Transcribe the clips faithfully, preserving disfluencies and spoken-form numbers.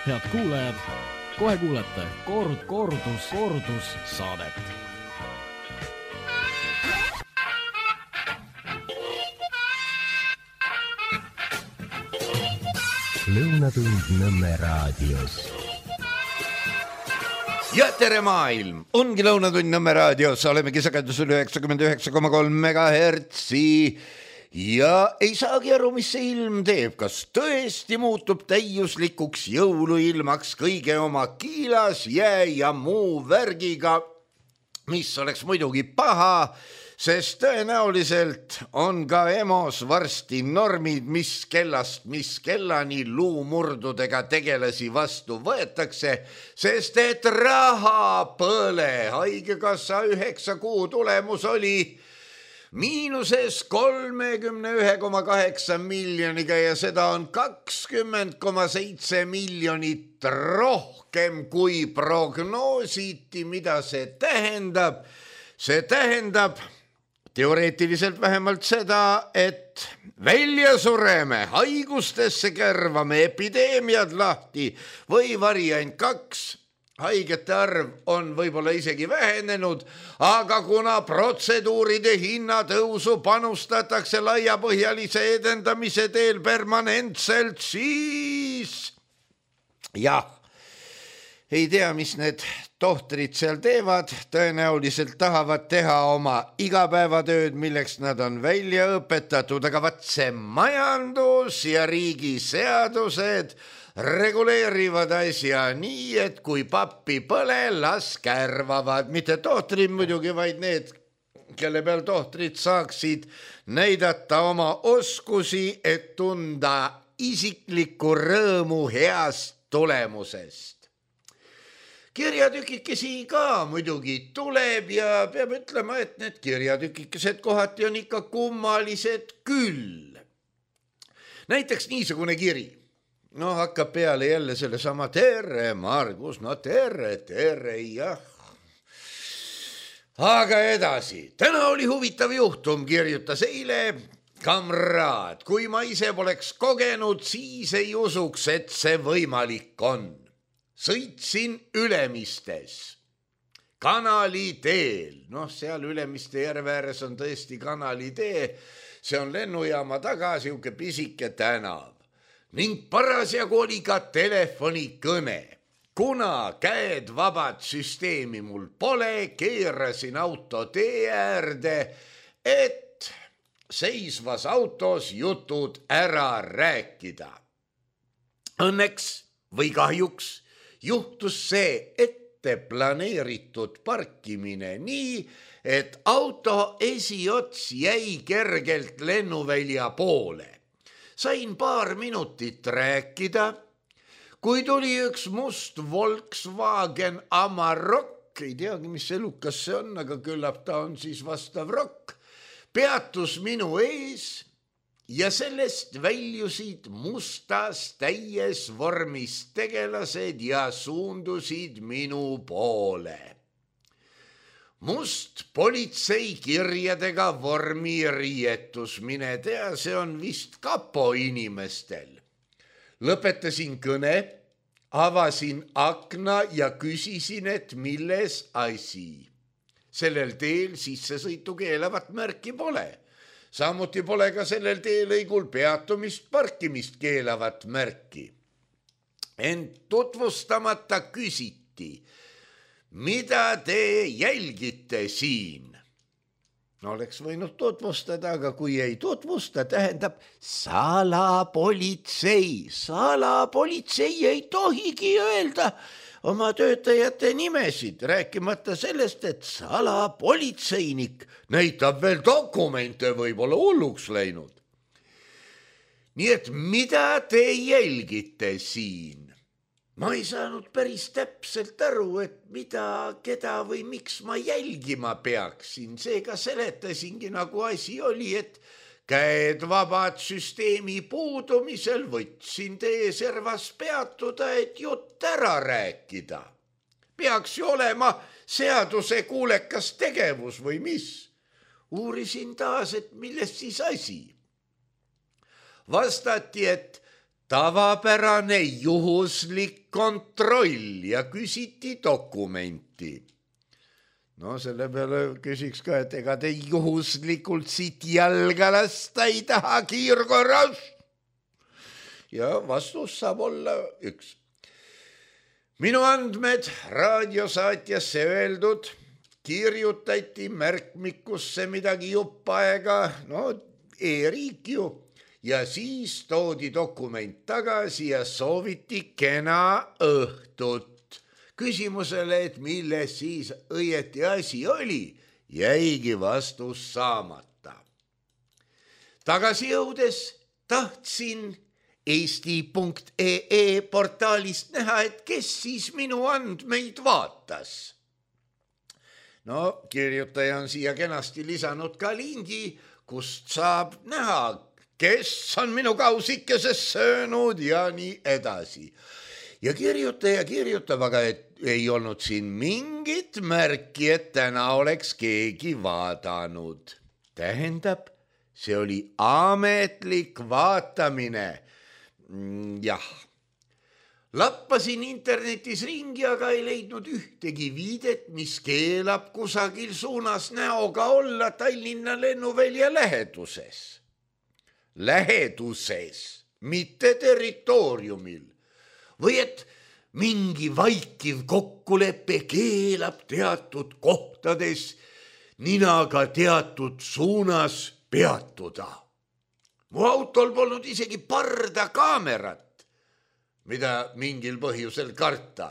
Head kuulajad, kohe kuulete kord, kordus, kordus saadet. Lõunatund Nõmme raadios. Ja tere maailm! Ongi Lõunatund Nõmme raadios. Olemegi sagedusel üheksakümmend üheksa koma kolm megahertsi. Ja ei saagi aru, mis see ilm teeb. Kas tõesti muutub täiuslikuks jõuluilmaks kõige oma kiilas, jää ja muu värgiga, mis oleks muidugi paha, sest tõenäoliselt on ka EMO-s varsti normid, mis kellast, mis kellani luumurdudega tegelasi vastu võetakse, sest et raha põle. Haigekassa üheksa kuu tulemus oli miinuses kolmekümne ühe koma kaheksa miljoniga ja seda on kakskümmend koma seitse miljonit rohkem kui prognoositi. Mida see tähendab? See tähendab teoreetiliselt vähemalt seda, et välja sureme, haigustesse kärvame, epideemiad lahti või variant kaks. Haigete arv on võib-olla isegi vähenenud, aga kuna protseduuride hinnatõusu panustatakse laiapõhjalise edendamise teel permanentselt, siis jah, ei tea, mis need tohtrid seal teevad, tõenäoliselt tahavad teha oma igapäevatööd, milleks nad on välja õpetatud, aga vat see majandus ja riigi seadused reguleerivad asja nii, et kui pappi põle, las kärvavad. Mitte tohtrid muidugi, vaid need, kelle peal tohtrid saaksid näidata oma oskusi, et tunda isiklikku rõõmu heast tulemusest. Kirjatükikesi ka muidugi tuleb ja peab ütlema, et need kirjatükikesed kohati on ikka kummalised küll. Näiteks niisugune kiri. No hakkab peale jälle selle sama tere, Margus, no tere, tere, jah. Aga edasi. Täna oli huvitav juhtum, kirjutas eile kamraad. Kui ma ise poleks kogenud, siis ei usuks, et see võimalik on. Sõitsin Ülemistes kanali teel. Noh, seal Ülemiste järve ääres on tõesti kanali tee. See on lennujaama taga, siuke pisike tänav. Ning parasjagu oli ka telefonikõne. Kuna käed vabad süsteemi mul pole, keerasin auto tee äärde, et seisvas autos jutud ära rääkida. Õnneks või kahjuks juhtus see ette planeeritud parkimine nii, et auto esiots jäi kergelt lennuvälja poole. Sain paar minutit rääkida, kui tuli üks must Volkswagen Amarok, ei teagi, mis elukas see on, aga küllap ta on siis vastav rokk, peatus minu ees ja sellest väljusid mustas täies vormis tegelased ja suundusid minu poole. Must politsei kirjadega vormi riietus, mine tea, see on vist kapo inimestel. Lõpetasin kõne, avasin akna ja küsisin, et milles asi. Sellel teel sissesõitu keelavat märki pole. Samuti pole ka sellel teelõigul peatumist, parkimist keelavat märki. Ent tutvustamata küsiti, mida te jälgite siin? No oleks võinud tutvustada, aga kui ei tutvusta, tähendab salapolitsei. Salapolitsei ei tohigi öelda oma töötajate nimesid, rääkimata sellest, et salapolitseinik näitab veel dokumente, võib-olla hulluks läinud. Nii et mida te jälgite siin? Ma ei saanud päris täpselt aru, et mida, keda või miks ma jälgima peaksin. Seega seletasingi, nagu asi oli, et käed vabad süsteemi puudumisel võtsin teie servas peatuda, et jutt ära rääkida. Peaks ju olema seaduse kuulekas tegevus või mis? Uurisin taas, et millest siis asi. Vastati, et tavapärane juhuslik kontroll ja küsiti dokumenti. No selle peale küsiks ka, et ega te juhuslikult siit jalga lasta ei taha kiirkorras. Ja vastus saab olla üks. Minu andmed raadiosaatjasse öeldud kirjutati märkmikusse midagi jupp aega, no e-riik ju, ja siis toodi dokument tagasi ja sooviti kena õhtut. Küsimusele, et milles siis õieti asi oli, jäigi vastus saamata. Tagasi jõudes tahtsin eesti punkt ee portaalist näha, et kes siis minu andmeid vaatas. No, kirjutaja on siia kenasti lisanud ka lingi, kust saab näha, kes on minu kausikeses söönud ja nii edasi. Ja kirjutaja kirjutab, aga et ei olnud siin mingit märki, et täna oleks keegi vaadanud. Tähendab, see oli ametlik vaatamine. Jah. Lappasin internetis ringi, aga ei leidnud ühtegi viidet, mis keelab kusagil suunas näoga olla Tallinna lennuvälja läheduses. Läheduses, mitte territooriumil. Või et mingi vaikiv kokkulepe keelab teatud kohtades ninaga teatud suunas peatuda. Mu autol polnud isegi parda kaamerat, mida mingil põhjusel karta,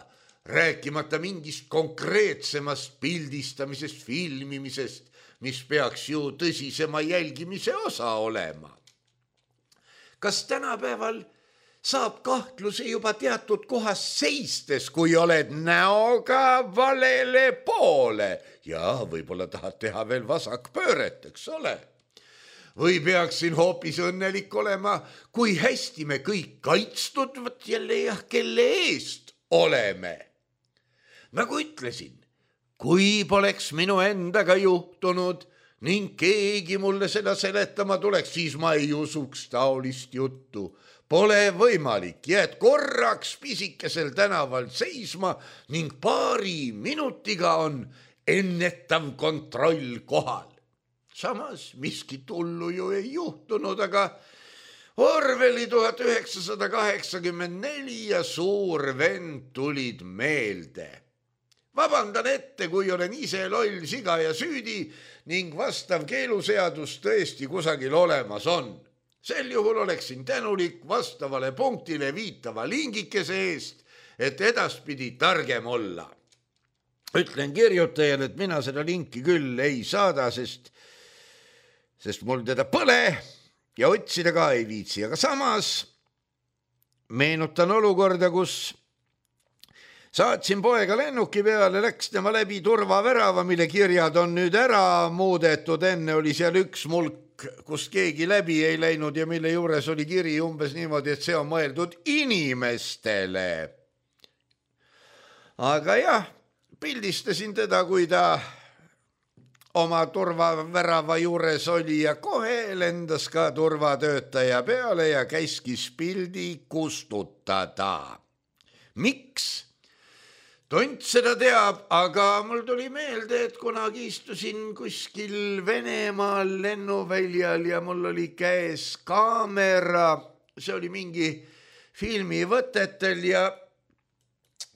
rääkimata mingist konkreetsemast pildistamisest, filmimisest, mis peaks ju tõsisema jälgimise osa olema. Kas tänapäeval saab kahtluse juba teatud kohas seistes, kui oled näoga valele poole ja võib-olla tahad teha veel vasakpööret, eks ole? Või peaksin hoopis õnnelik olema, kui hästi me kõik kaitstud, võt jälle jah, kelle eest oleme. Nagu ütlesin, kui poleks minu endaga juhtunud ning keegi mulle seda seletama tuleks, siis ma ei usuks taolist juttu. Pole võimalik, jääd korraks pisikesel tänaval seisma ning paari minutiga on ennetav kontroll kohal. Samas miskit hullu ju ei juhtunud, aga Orwelli tuhat üheksasada kaheksakümmend neli ja Suur vend tulid meelde. Vabandan ette, kui olen ise loll siga ja süüdi ning vastav keeluseadus tõesti kusagil olemas on. Sel juhul oleksin tänulik vastavale punktile viitava lingikese eest, et edaspidi targem olla. Ütlen kirjutajale, et mina seda linki küll ei saada, sest, sest mul teda põle ja otsida ka ei viitsi. Aga samas meenutan olukorda, kus saatsin poega lennuki peale, läks tema läbi turvavärava, mille kirjad on nüüd ära muudetud. Enne oli seal üks mulk, kust keegi läbi ei läinud ja mille juures oli kiri umbes niimoodi, et see on mõeldud inimestele. Aga jah, pildistasin teda, kui ta oma turvavärava juures oli ja kohe lendas ka turvatöötaja peale ja käskis pildi kustutada. Miks? Tont seda teab, aga mul tuli meelde, et kunagi istusin kuskil Venemaal lennuväljal ja mul oli käes kaamera, see oli mingi filmivõtetel ja,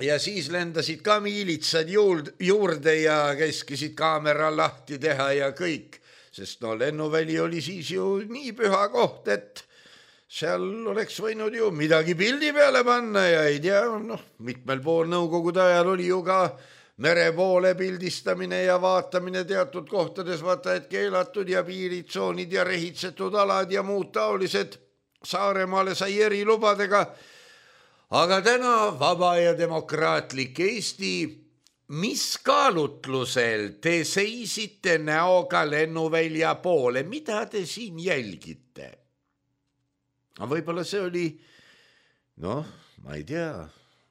ja siis lendasid ka miilitsad juurde ja käskisid kaamera lahti teha ja kõik, sest no lennuväli oli siis ju nii püha koht, et seal oleks võinud ju midagi pildi peale panna ja ei tea, noh, mitmel pool nõukogude ajal oli ju ka mere poole pildistamine ja vaatamine teatud kohtades, vaata, et keelatud ja piiritsoonid ja rehitsetud alad ja muud taolised. Saaremaale sai erilubadega. Aga täna vaba ja demokraatlik Eesti, mis kaalutlusel te seisite näoga lennuvälja poole, mida te siin jälgite? Aga võib-olla see oli, noh, ma ei tea,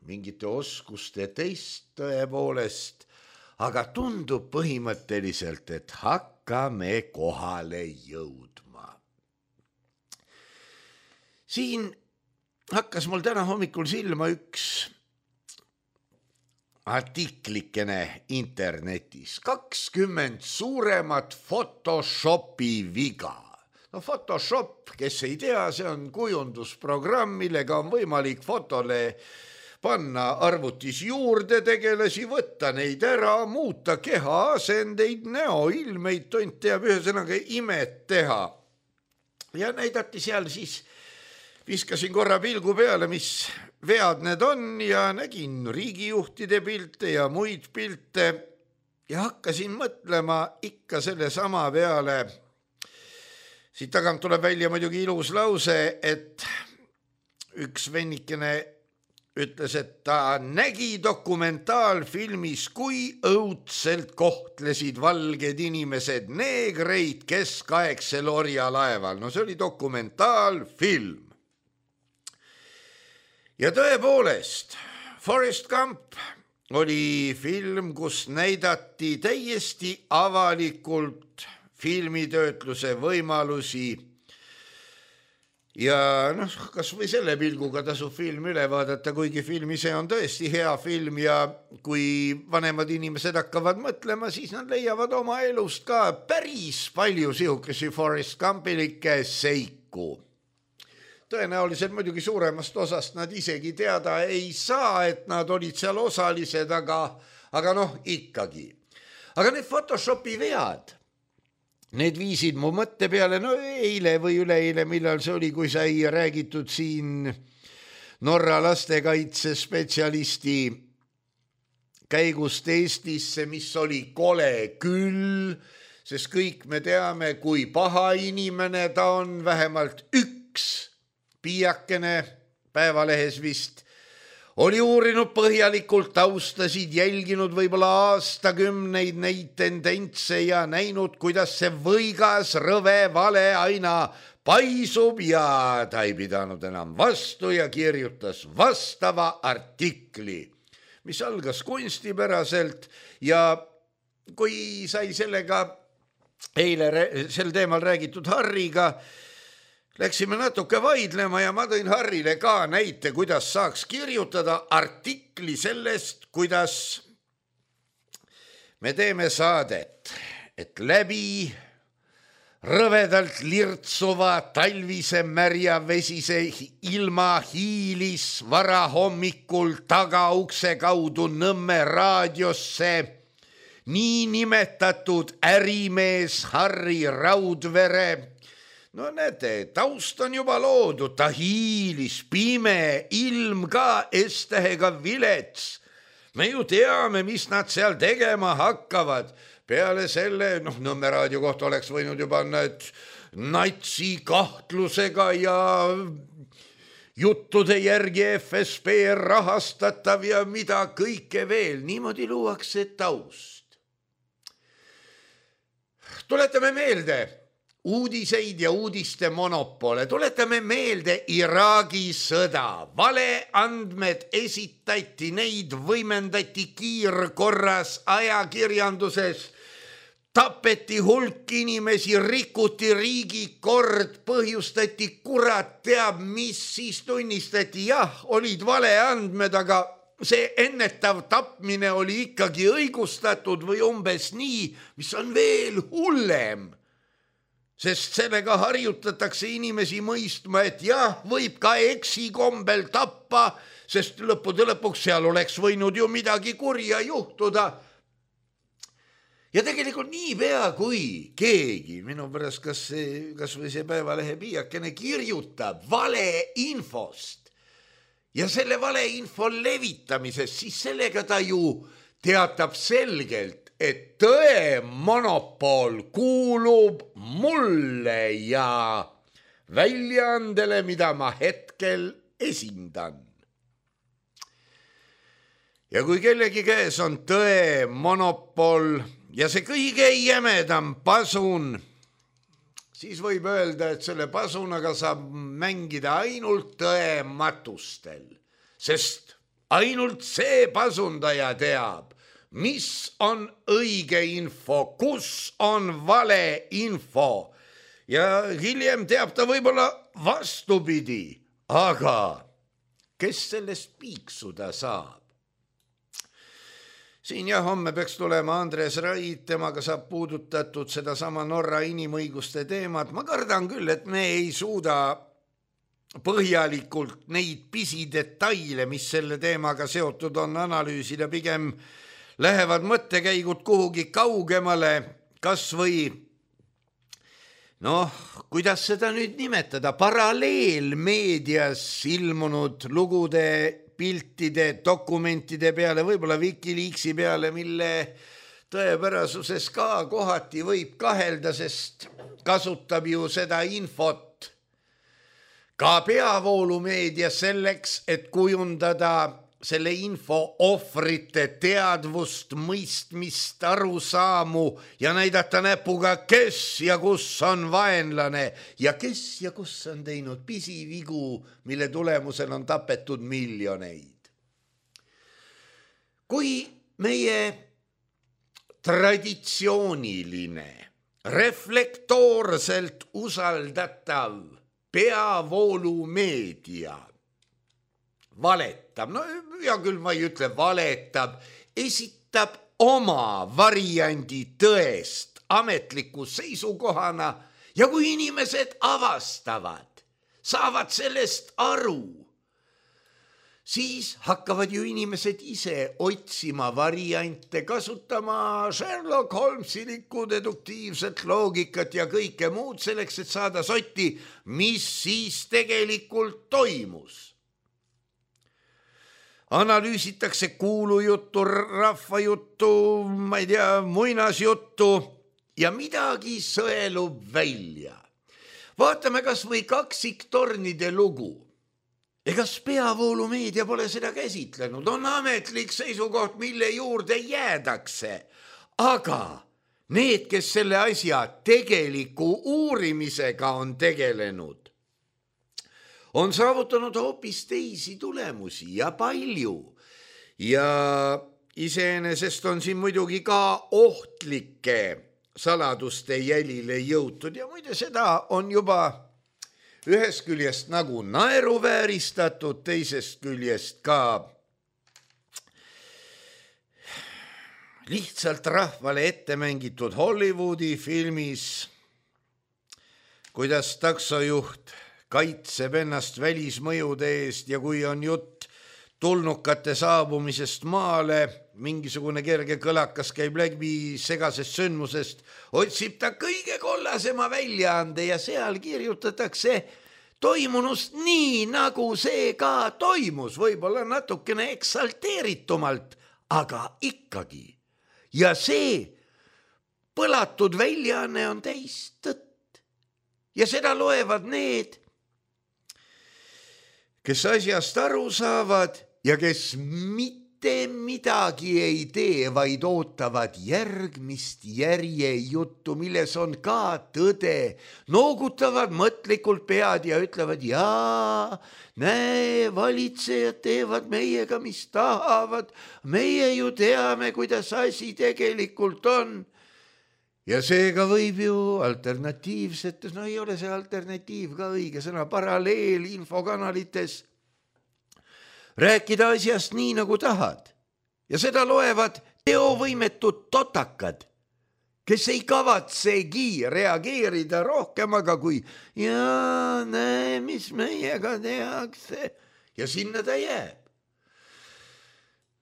mingite oskuste teist tõepoolest, aga tundub põhimõtteliselt, et hakkame kohale jõudma. Siin hakkas mul täna hommikul silma üks artiklikene internetis. kakskümmend suuremat Photoshopi viga. No Photoshop, kes ei tea, see on kujundusprogramm, millega on võimalik fotole panna arvutis juurde tegelasi, võtta neid ära, muuta keha asendeid, näoilmeid, tont teab ühesõnaga imet teha. Ja näidati seal siis, viskasin korra pilgu peale, mis vead need on ja nägin riigijuhtide pilte ja muid pilte ja hakkasin mõtlema ikka selle sama peale. Siit tagant tuleb välja muidugi ilus lause, et üks vennikene ütles, et ta nägi dokumentaalfilmis, kui õudselt kohtlesid valged inimesed neegreid keskaegsel orjalaeval. No see oli dokumentaalfilm. Ja tõepoolest, Forrest Gump oli film, kus näidati täiesti avalikult filmitöötluse võimalusi. Ja noh, kas või selle pilguga tasub film üle vaadata, kuigi film ise on tõesti hea film ja kui vanemad inimesed hakkavad mõtlema, siis nad leiavad oma elust ka päris palju sihukesi Forrest Gumpilikke seiku. Tõenäoliselt muidugi suuremast osast nad isegi teada ei saa, et nad olid seal osalised, aga, aga noh, ikkagi. Aga need Photoshopi vead, need viisid mu mõtte peale, no eile või üleeile, millal see oli, kui sai räägitud siin Norra lastekaitsespetsialisti käigust Eestisse, mis oli kole küll, sest kõik me teame, kui paha inimene ta on, vähemalt üks piiakene Päevalehes vist oli uurinud põhjalikult, taustasid, jälginud võib-olla aastakümneid neid tendentse ja näinud, kuidas see võigas rõve vale aina paisub ja ta ei pidanud enam vastu ja kirjutas vastava artikli, mis algas kunstipäraselt ja kui sai sellega eile sel teemal räägitud Harriga, läksime natuke vaidlema ja ma tõin Harrile ka näite, kuidas saaks kirjutada artikli sellest, kuidas me teeme saadet, et läbi rõvedalt lirtsuva talvise märja vesise ilma hiilis varahommikul tagaukse kaudu Nõmme raadiosse niinimetatud ärimees Harri Raudvere. No näete, taust on juba loodud, ta hiilis, pime, ilm ka, S-tähega vilets. Me ju teame, mis nad seal tegema hakkavad. Peale selle, noh, Nõmme raadio kohta oleks võinud juba need natsi kahtlusega ja juttude järgi F S B rahastatav ja mida kõike veel. Niimoodi luuakse taust. Tuletame meelde uudiseid ja uudiste monopole. Tuletame meelde Iraagi sõda. Valeandmed esitati, neid võimendati kiirkorras ajakirjanduses. Tapeti hulk inimesi, rikuti riigikord, põhjustati kurat teab, mis siis tunnistati. Jah, olid valeandmed, aga see ennetav tapmine oli ikkagi õigustatud või umbes nii, mis on veel hullem. Sest sellega harjutatakse inimesi mõistma, et jah, võib ka eksikombel tappa, sest lõppude lõpuks seal oleks võinud ju midagi kurja juhtuda. Ja tegelikult nii pea kui keegi, minu pärast kas, see, kas või see Päevalehe piiakene kirjutab valeinfost ja selle valeinfo levitamisest, siis sellega ta ju teatab selgelt, et tõe monopol kuulub mulle ja väljaandele, mida ma hetkel esindan. Ja kui kellegi käes on tõe monopol ja see kõige jämedam pasun, siis võib öelda, et selle pasunaga saab mängida ainult tõe matustel, sest ainult see pasundaja teab, mis on õige info, kus on vale info ja hiljem teab ta võib-olla vastupidi, aga kes sellest piiksuda saab? Siin jah, homme peaks tulema Andres Raid, temaga saab puudutatud sedasama Norra inimõiguste teemat. Ma kardan küll, et me ei suuda põhjalikult neid pisidetaile, mis selle teemaga seotud on, analüüsida. Pigem lähevad mõttekäigud kuhugi kaugemale, kas või, noh, kuidas seda nüüd nimetada, paralleelmeedias ilmunud lugude, piltide, dokumentide peale, võib-olla Wikileaksi peale, mille tõepärasuses ka kohati võib kahelda, sest kasutab ju seda infot ka peavoolumeedia selleks, et kujundada selle info ohvrite teadvust, mõistmist, arusaamu ja näidata näpuga, kes ja kus on vaenlane ja kes ja kus on teinud pisivigu, mille tulemusel on tapetud miljoneid. Kui meie traditsiooniline, reflektoorselt usaldatav peavoolumeedia valetab, no hea küll, ma ei ütle valetab, esitab oma variandi tõest ametliku seisukohana ja kui inimesed avastavad, saavad sellest aru, siis hakkavad ju inimesed ise otsima variante, kasutama Sherlock Holmesilikku deduktiivset loogikat ja kõike muud selleks, et saada sotti, mis siis tegelikult toimus. Analüüsitakse kuulujuttu, rahvajuttu, ma ei tea, muinasjuttu ja midagi sõelub välja. Vaatame kas või kaksiktornide lugu. Egas peavoolumeedia pole seda käsitlenud, on ametlik seisukoht, mille juurde jäädakse. Aga need, kes selle asja tegeliku uurimisega on tegelenud, on saavutanud hoopis teisi tulemusi ja palju. Ja iseenesest on siin muidugi ka ohtlike saladuste jälile jõutud ja muide seda on juba ühest küljest nagu naeruvääristatud, teisest küljest ka lihtsalt rahvale ette mängitud Hollywoodi filmis, kuidas taksojuht kaitseb ennast välismõjude eest ja kui on jutt tulnukate saabumisest maale, mingisugune kerge kõlakas käib läbi segasest sündmusest, otsib ta kõige kollasema väljaande ja seal kirjutatakse toimunust nii, nagu see ka toimus, võib-olla natukene eksalteeritumalt, aga ikkagi. Ja see põlatud väljaanne on täis tõtt ja seda loevad need, kes asjast aru saavad ja kes mitte midagi ei tee, vaid ootavad järgmist järjejuttu, milles on ka tõde, noogutavad mõtlikult pead ja ütlevad, jaa, näe, valitsejad teevad meiega, mis tahavad, meie ju teame, kuidas asi tegelikult on. Ja seega võib ju alternatiivsetes, no ei ole see alternatiiv ka õige sõna, paralleel infokanalites rääkida asjast nii, nagu tahad. Ja seda loevad teovõimetud totakad, kes ei kavatsegi reageerida rohkem, aga kui jaa, näe, mis meiega tehakse ja sinna ta jääb.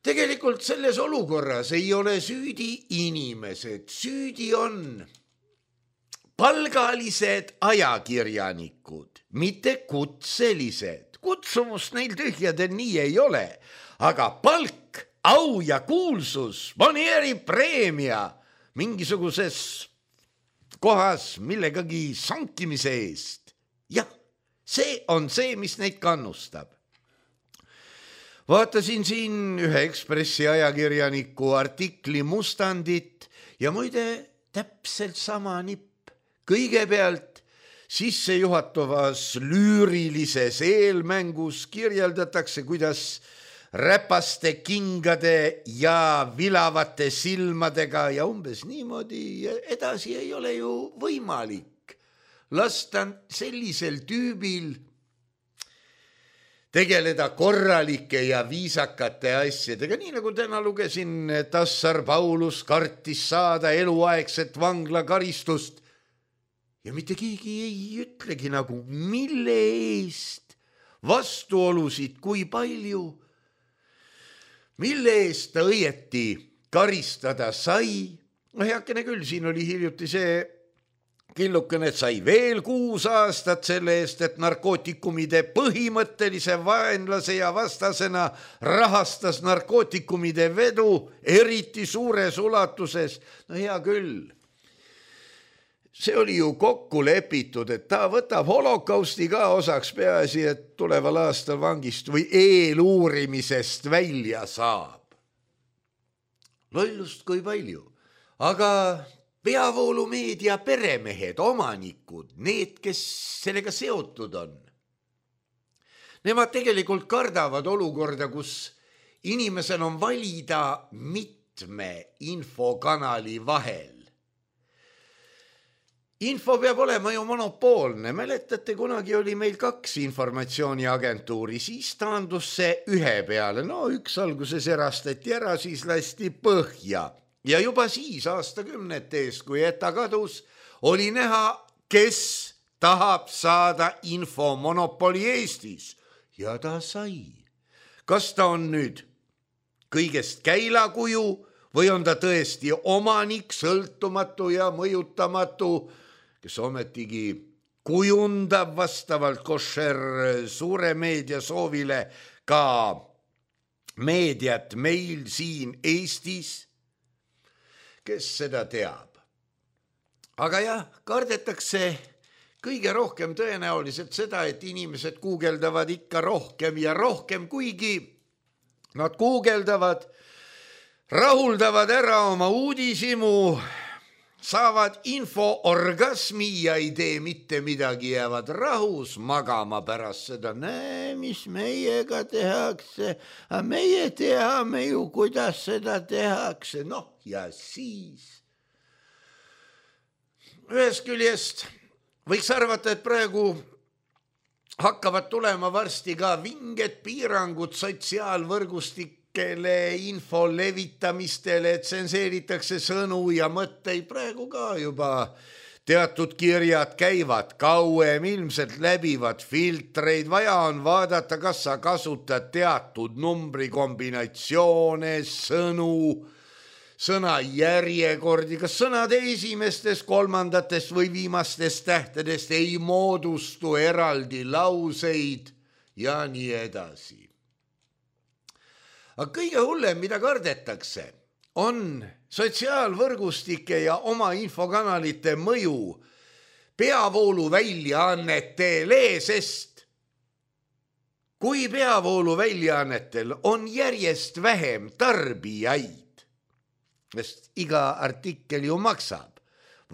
Tegelikult selles olukorras ei ole süüdi inimesed, süüdi on palgalised ajakirjanikud, mitte kutselised. Kutsumust neil tühjadel nii ei ole, aga palk, au ja kuulsus, Monieri preemia mingisuguses kohas millegagi sankimise eest. Jah, see on see, mis neid kannustab. Vaatasin siin ühe Ekspressi ajakirjaniku artikli mustandit ja muide täpselt sama nipp. Kõigepealt sissejuhatavas lüürilises eelmängus kirjeldatakse, kuidas räpaste kingade ja vilavate silmadega ja umbes niimoodi edasi ei ole ju võimalik. Lasta sellisel tüübil tegeleda korralike ja viisakate asjadega, nii nagu täna lugesin, Tassar Paulus kartis saada eluaegset vanglakaristust ja mitte keegi ei ütlegi nagu, mille eest, vastuolusid kui palju, mille eest ta õieti karistada sai. No heakene küll, siin oli hiljuti see killukene, et sai veel kuus aastat selle eest, et narkootikumide põhimõttelise vaenlase ja vastasena rahastas narkootikumide vedu eriti suures ulatuses. No hea küll. See oli ju kokku lepitud, et ta võtab holokausti ka osaks, peaasi, et tuleval aastal vangist või eeluurimisest välja saab. Lollust kui palju, aga peavoolumeedia peremehed, omanikud, need, kes sellega seotud on. Nemad tegelikult kardavad olukorda, kus inimesel on valida mitme infokanali vahel. Info peab olema ju monopoolne. Mäletate, kunagi oli meil kaks informatsiooniagentuuri, siis taandus see ühe peale. No üks alguses erastati ära, siis lasti põhja. Ja juba siis aastakümnete eest, kui ETA kadus, oli näha, kes tahab saada infomonopoli Eestis. Ja ta sai. Kas ta on nüüd kõigest käilakuju või on ta tõesti omanik, sõltumatu ja mõjutamatu, kes ometigi kujundab vastavalt košer suure meedia soovile ka meediat meil siin Eestis? Kes seda teab. Aga jah, kardetakse kõige rohkem tõenäoliselt seda, et inimesed guugeldavad ikka rohkem ja rohkem, kuigi nad guugeldavad, rahuldavad ära oma uudisimu, saavad infoorgasmi ja ei tee mitte midagi, jäävad rahus magama pärast seda. Näe, mis meiega tehakse, aga meie teame ju, kuidas seda tehakse. Noh, ja siis ühest küljest võiks arvata, et praegu hakkavad tulema varsti ka vinged piirangud sotsiaalvõrgustikele, info levitamistele, et tsenseeritakse sõnu ja mõtteid. Praegu ka juba teatud kirjad käivad kauem, ilmselt läbivad filtreid. Vaja on vaadata, kas sa kasutad teatud numbrikombinatsioone, sõnu, sõna järjekordi, kas sõnade esimestest, kolmandatest või viimastest tähtedest ei moodustu eraldi lauseid ja nii edasi. Aga kõige hullem, mida kardetakse, on sotsiaalvõrgustike ja oma infokanalite mõju peavoolu väljaannetele, sest kui peavoolu väljaannetel on järjest vähem tarbijaid, sest iga artikkel ju maksab.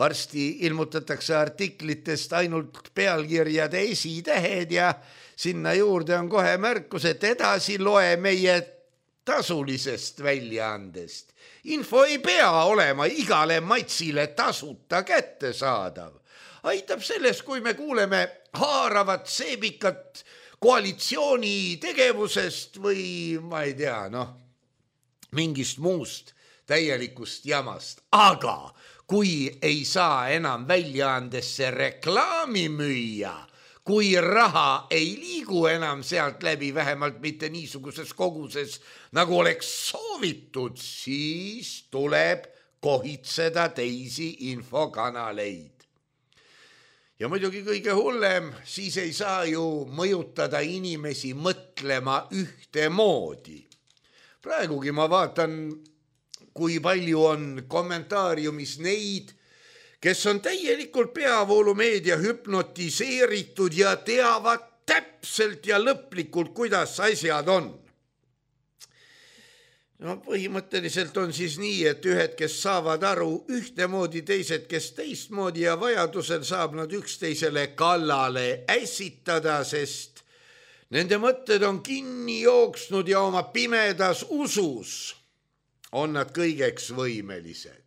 Varsti ilmutatakse artiklitest ainult pealkirjade esitähed ja sinna juurde on kohe märkus, et edasi loe meie tasulisest väljaandest. Info ei pea olema igale matsile tasuta kättesaadav. Aitab sellest, kui me kuuleme haaravat seebikat koalitsiooni tegevusest või ma ei tea, noh, mingist muust täielikust jamast, aga kui ei saa enam väljaandesse reklaami müüa, kui raha ei liigu enam sealt läbi, vähemalt mitte niisuguses koguses, nagu oleks soovitud, siis tuleb kohitseda teisi infokanaleid. Ja muidugi kõige hullem, siis ei saa ju mõjutada inimesi mõtlema ühtemoodi. Praegugi ma vaatan, kui palju on kommentaariumis neid, kes on täielikult peavoolumeedia hüpnotiseeritud ja teavad täpselt ja lõplikult, kuidas asjad on. No põhimõtteliselt on siis nii, et ühed, kes saavad aru ühtemoodi, teised, kes teistmoodi ja vajadusel saab nad üksteisele kallale ässitada, sest nende mõtted on kinni jooksnud ja oma pimedas usus on nad kõigeks võimelised.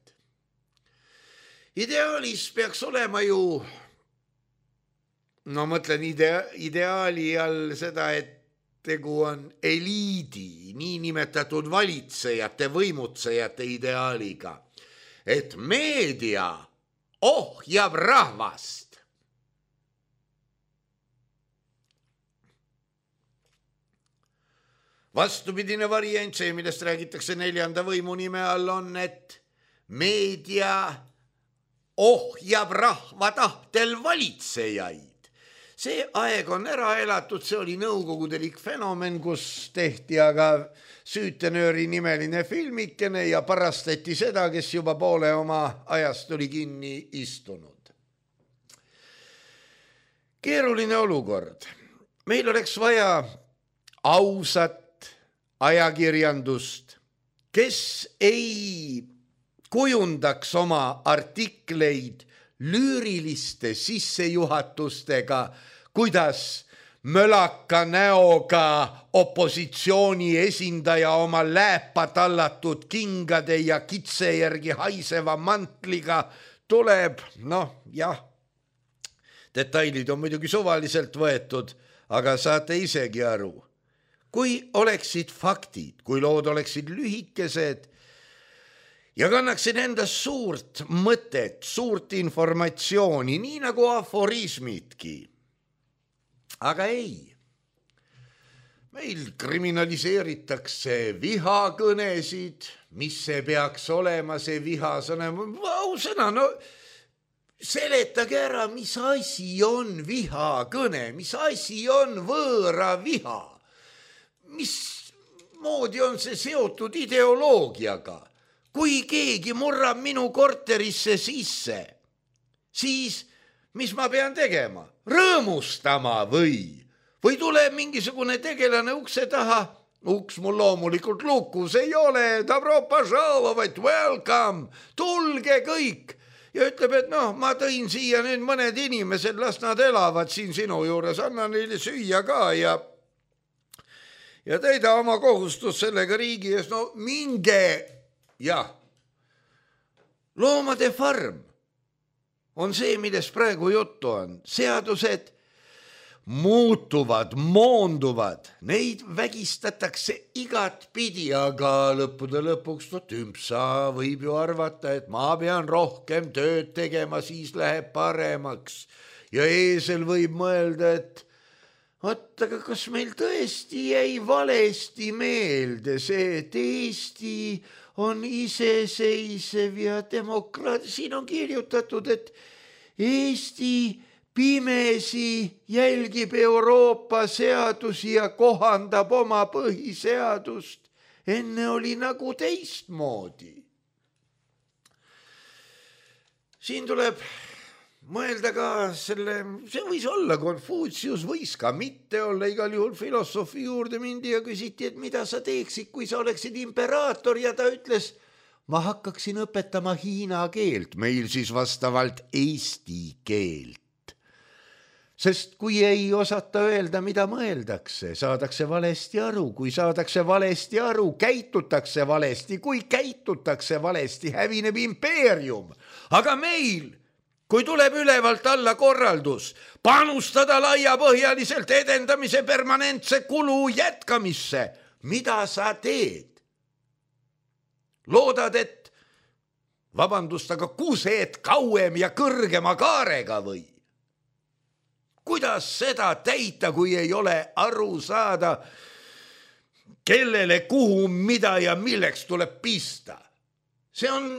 Ideaalis peaks olema ju, no mõtlen idea, ideaali all seda, et tegu on eliidi, niinimetatud valitsejate, võimutsejate ideaaliga, et meedia ohjab rahvast. Vastupidine variant, see, millest räägitakse neljanda võimu nime all, on, et meedia ohjab rahva tahtel valitsejaid. See aeg on ära elatud, see oli nõukogudelik fenomen, kus tehti aga Süütenööri nimeline filmikene ja parastati seda, kes juba poole oma ajast oli kinni istunud. Keeruline olukord. Meil oleks vaja ausat ajakirjandust, kes ei kujundaks oma artikleid lüüriliste sissejuhatustega, kuidas mölaka näoga opositsiooni esindaja oma lääpa tallatud kingade ja kitse järgi haiseva mantliga tuleb, noh jah, detailid on muidugi suvaliselt võetud, aga saate isegi aru. Kui oleksid faktid, kui lood oleksid lühikesed ja kannaksid endast suurt mõtet, suurt informatsiooni, nii nagu aforismidki. Aga ei. Meil kriminaliseeritakse vihakõnesid, mis see peaks olema, see vihasõna. Ausõna, no seletage ära, mis asi on vihakõne, mis asi on võõra viha. Mis moodi on see seotud ideoloogiaga? Kui keegi murrab minu korterisse sisse, siis mis ma pean tegema? Rõõmustama või? Või tuleb mingisugune tegelane ukse taha? Uks mul loomulikult lukus ei ole, dobro požalovat, welcome, tulge kõik. Ja ütleb, et noh, ma tõin siia nüüd mõned inimesed, las nad elavad siin sinu juures, anna neile süüa ka ja ja täida oma kohustus sellega riigi ees, no minge, jah. Loomade farm on see, millest praegu juttu on. Seadused muutuvad, moonduvad, neid vägistatakse igat pidi, aga lõppude lõpuks no, tümpsa võib ju arvata, et ma pean rohkem tööd tegema, siis läheb paremaks. Ja eesel võib mõelda, et Oot, aga kas meil tõesti jäi valesti meelde see, et Eesti on iseseisev ja demokraat. Siin on kirjutatud, et Eesti pimesi jälgib Euroopa seadusi ja kohandab oma põhiseadust. Enne oli nagu teistmoodi. Siin tuleb mõelda ka selle, see võis olla Konfutsius, võis ka mitte olla, igal juhul filosoofi juurde mindi ja küsiti, et mida sa teeksid, kui sa oleksid imperaator, ja ta ütles, ma hakkaksin õpetama hiina keelt, meil siis vastavalt eesti keelt. Sest kui ei osata öelda, mida mõeldakse, saadakse valesti aru, kui saadakse valesti aru, käitutakse valesti, kui käitutakse valesti, hävineb impeerium, aga meil kui tuleb ülevalt alla korraldus, panustada laiapõhjaliselt edendamise permanentse kulu jätkamisse, mida sa teed? Loodad, et, vabandust, aga kused kauem ja kõrgema kaarega või? Kuidas seda täita, kui ei ole aru saada, kellele, kuhu, mida ja milleks tuleb pista? See on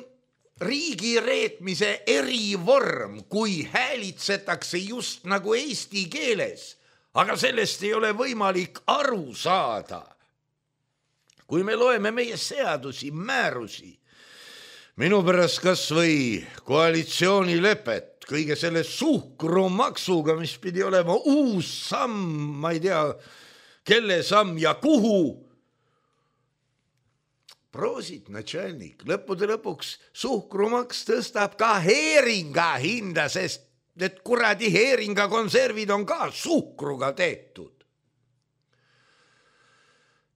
riigi reetmise erivorm, kui häälitsetakse just nagu eesti keeles, aga sellest ei ole võimalik aru saada. Kui me loeme meie seadusi, määrusi, minu pärast kas või koalitsioonilepet, kõige selle suhkrumaksuga, mis pidi olema uus samm, ma ei tea, kelle samm ja kuhu, proosit, natšalnik, lõppude lõpuks suhkrumaks tõstab ka heeringa hinda, sest need kuradi heeringa konservid on ka suhkruga tehtud.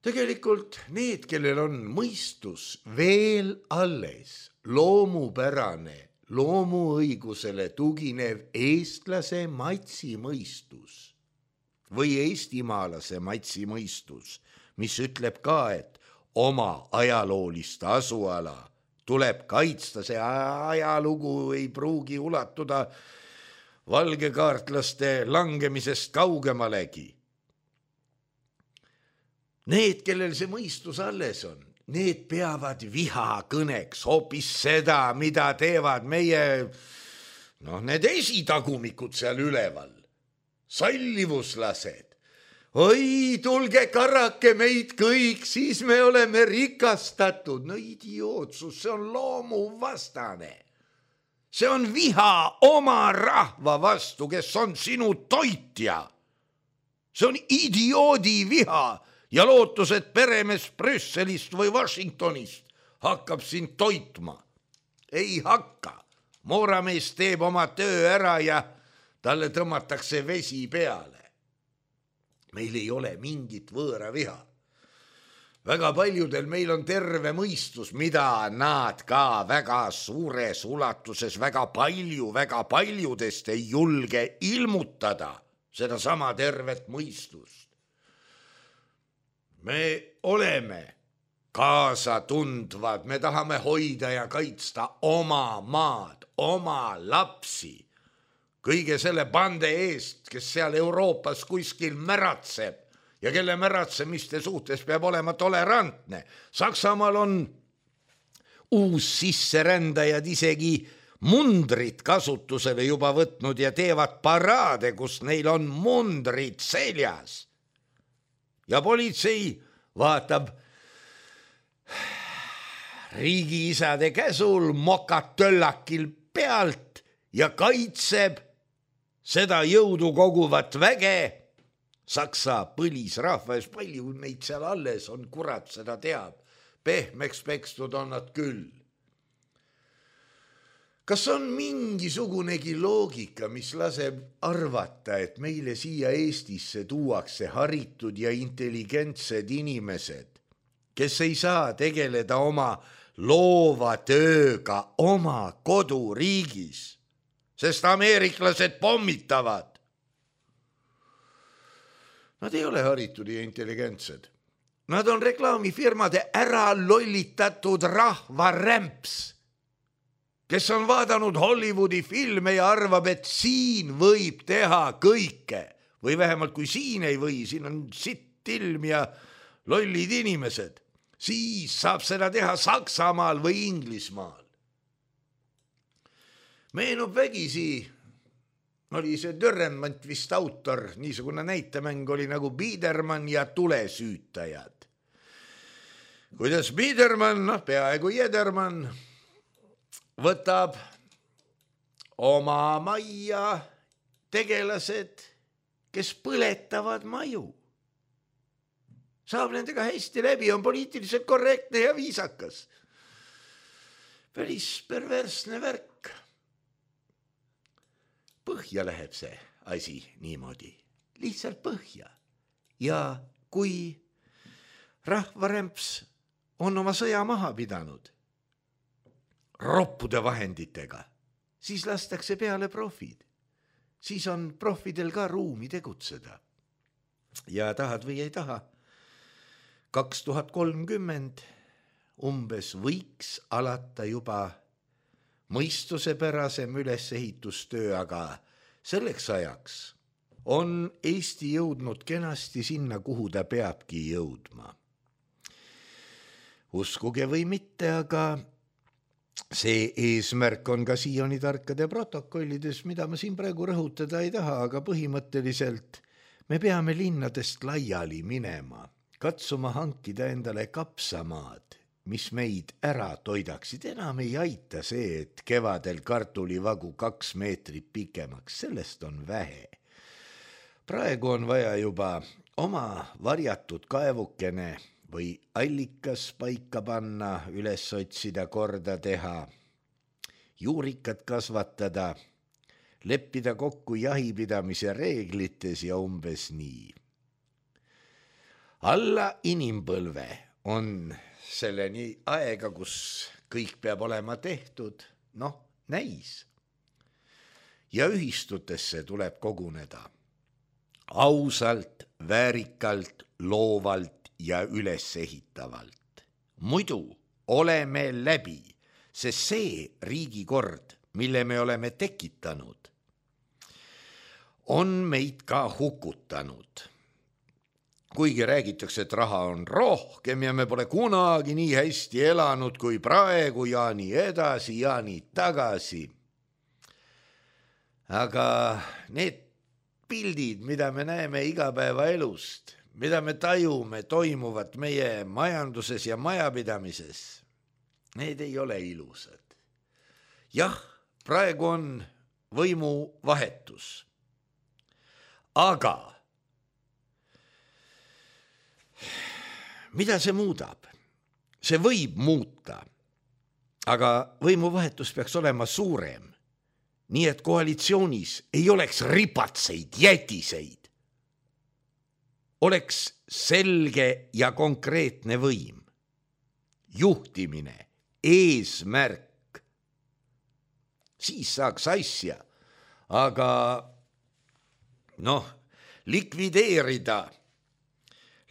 Tegelikult need, kellel on mõistus veel alles, loomupärane, loomuõigusele tuginev eestlase matsi mõistus, või eestimaalase Matsi mõistus, mis ütleb ka, et oma ajaloolist asuala tuleb kaitsta, see ajalugu ei pruugi ulatuda valgekaartlaste langemisest kaugemalegi. Need, kellel see mõistus alles on, need peavad vihakõneks hoopis seda, mida teevad meie, noh, need esitagumikud seal üleval, sallivuslased. Oi, tulge karake meid kõik, siis me oleme rikastatud. No idiootsus, see on loomuvastane. See on viha oma rahva vastu, kes on sinu toitja. See on idioodi viha ja lootus, et peremees Brüsselist või Washingtonist hakkab sind toitma. Ei hakka. Mooramees teeb oma töö ära ja talle tõmmatakse vesi peale. Meil ei ole mingit võõra viha. Väga paljudel meil on terve mõistus, mida nad ka väga suures ulatuses, väga palju, väga paljudest ei julge ilmutada seda sama tervet mõistust. Me oleme kaasatundvad, me tahame hoida ja kaitsta oma maad, oma lapsi. Kõige selle bande eest, kes seal Euroopas kuskil märatseb ja kelle märatsemiste suhtes peab olema tolerantne. Saksamaal on uus sisserändajad isegi mundrit kasutusele juba võtnud ja teevad paraade, kus neil on mundrid seljas. Ja politsei vaatab riigiisade käsul mokatöllakil pealt ja kaitseb seda jõudu koguvat väge. Saksa põlisrahvas, palju neid seal alles on, kurat seda teab. Pehmeks pekstud on nad küll. Kas on mingisugunegi loogika, mis laseb arvata, et meile siia Eestisse tuuakse haritud ja intelligentsed inimesed, kes ei saa tegeleda oma loova tööga oma koduriigis, sest ameeriklased pommitavad? Nad ei ole haritud ja intelligentsed. Nad on reklaamifirmade ära lollitatud rahvarämps, kes on vaadanud Hollywoodi filme ja arvab, et siin võib teha kõike. Või vähemalt kui siin ei või, siin on sitt ilm ja lollid inimesed. Siis saab seda teha Saksamaal või Inglismaal. Meenub vägisi, oli see Dürrenmatt vist autor, niisugune näitemäng oli nagu Biedermann ja tulesüütajad. Kuidas Biedermann, noh peaaegu Jedermann, võtab oma majja tegelased, kes põletavad maju. Saab nendega hästi läbi, on poliitiliselt korrektne ja viisakas. Päris perversne värk. Põhja läheb see asi niimoodi, lihtsalt põhja. Ja kui rahvarämps on oma sõja maha pidanud roppude vahenditega, siis lastakse peale profid. Siis on profidel ka ruumi tegutseda. Ja tahad või ei taha, kaks tuhat kolmkümmend umbes võiks alata juba mõistusepärasem ülesehitustöö, aga selleks ajaks on Eesti jõudnud kenasti sinna, kuhu ta peabki jõudma. Uskuge või mitte, aga see eesmärk on ka siiani tarkade protokollides, mida ma siin praegu rõhutada ei taha, aga põhimõtteliselt me peame linnadest laiali minema, katsuma hankida endale kapsamaad, mis meid ära toidaksid. Enam ei aita see, et kevadel kartulivagu kaks meetrit pikemaks, sellest on vähe. Praegu on vaja juba oma varjatud kaevukene või allikas paika panna, üles otsida, korda teha, juurikat kasvatada, leppida kokku jahipidamise reeglites ja umbes nii. Alla inimpõlve on selleni aega, kus kõik peab olema tehtud, noh, näis. Ja ühistutesse tuleb koguneda. ausalt, väärikalt, loovalt ja ülesehitavalt. Muidu oleme läbi, sest see riigikord, mille me oleme tekitanud, on meid ka hukutanud. Kuigi räägitakse, et raha on rohkem ja me pole kunagi nii hästi elanud kui praegu ja nii edasi ja nii tagasi. Aga need pildid, mida me näeme igapäevaelust, mida me tajume toimuvat meie majanduses ja majapidamises, need ei ole ilusad. Jah, praegu on võimu vahetus. Aga mida see muudab? See võib muuta, aga võimuvahetus peaks olema suurem. Nii et koalitsioonis ei oleks ripatseid, jätiseid. Oleks selge ja konkreetne võim. Juhtimine, eesmärk. Siis saaks asja, aga noh, likvideerida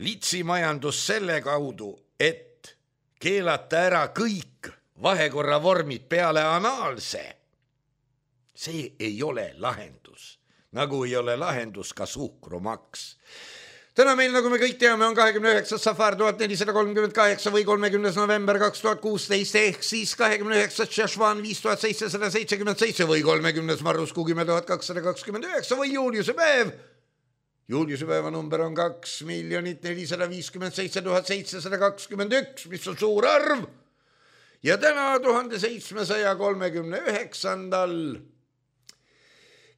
litsimajandus selle kaudu, et keelata ära kõik vahekorra vormid peale anaalse. See ei ole lahendus, nagu ei ole lahendus ka suhkrumaks. Täna meil, nagu me kõik teame, on kahekümne üheksas safar tuhat nelisada kolmkümmend kaheksa või kolmekümnes november kaks tuhat kuusteist ehk siis kahekümne üheksas Šešvan viis tuhat seitsesada seitsekümmend seitse või kolmekümnes Marrusku kümme tuhat kakssada kakskümmend üheksa või juuliuse päev. Juuliuse päeva number on kaks miljonit nelisada viiskümmend seitse tuhat seitsesada kakskümmend üks, mis on suur arv. Ja täna tuhande seitsmesaja kolmekümne üheksandal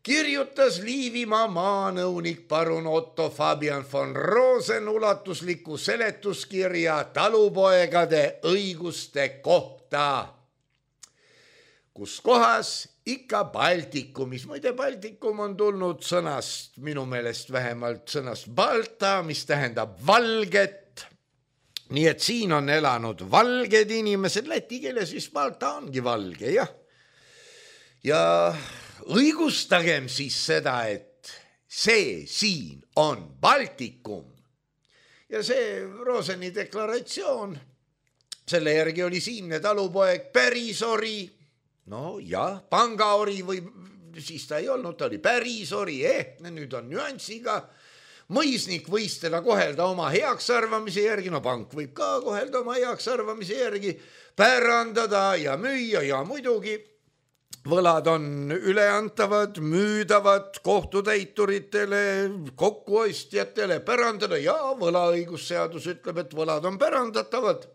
kirjutas Liivimaa maanõunik parun Otto Fabian von Rosen ulatusliku seletuskirja talupoegade õiguste kohta, kus kohas ikka Baltikumis. Muide, Baltikum on tulnud sõnast, minu meelest vähemalt sõnast Balta, mis tähendab valget. Nii et siin on elanud valged inimesed, läti keeles vist Balta ongi valge, jah. Ja õigustagem siis seda, et see siin on Baltikum. Ja see Roseni deklaratsioon, selle järgi oli siinne talupoeg pärisori, no jah, pangaori või siis ta ei olnud, ta oli pärisori, eh, nüüd on nüansiga. Mõisnik võis teda kohelda oma heaks arvamise järgi, no pank võib ka kohelda oma heaks arvamise järgi, pärandada ja müüa ja muidugi võlad on üleantavad, müüdavad kohtutäituritele, kokkuostjatele, pärandada ja võlaõigusseadus ütleb, et võlad on pärandatavad.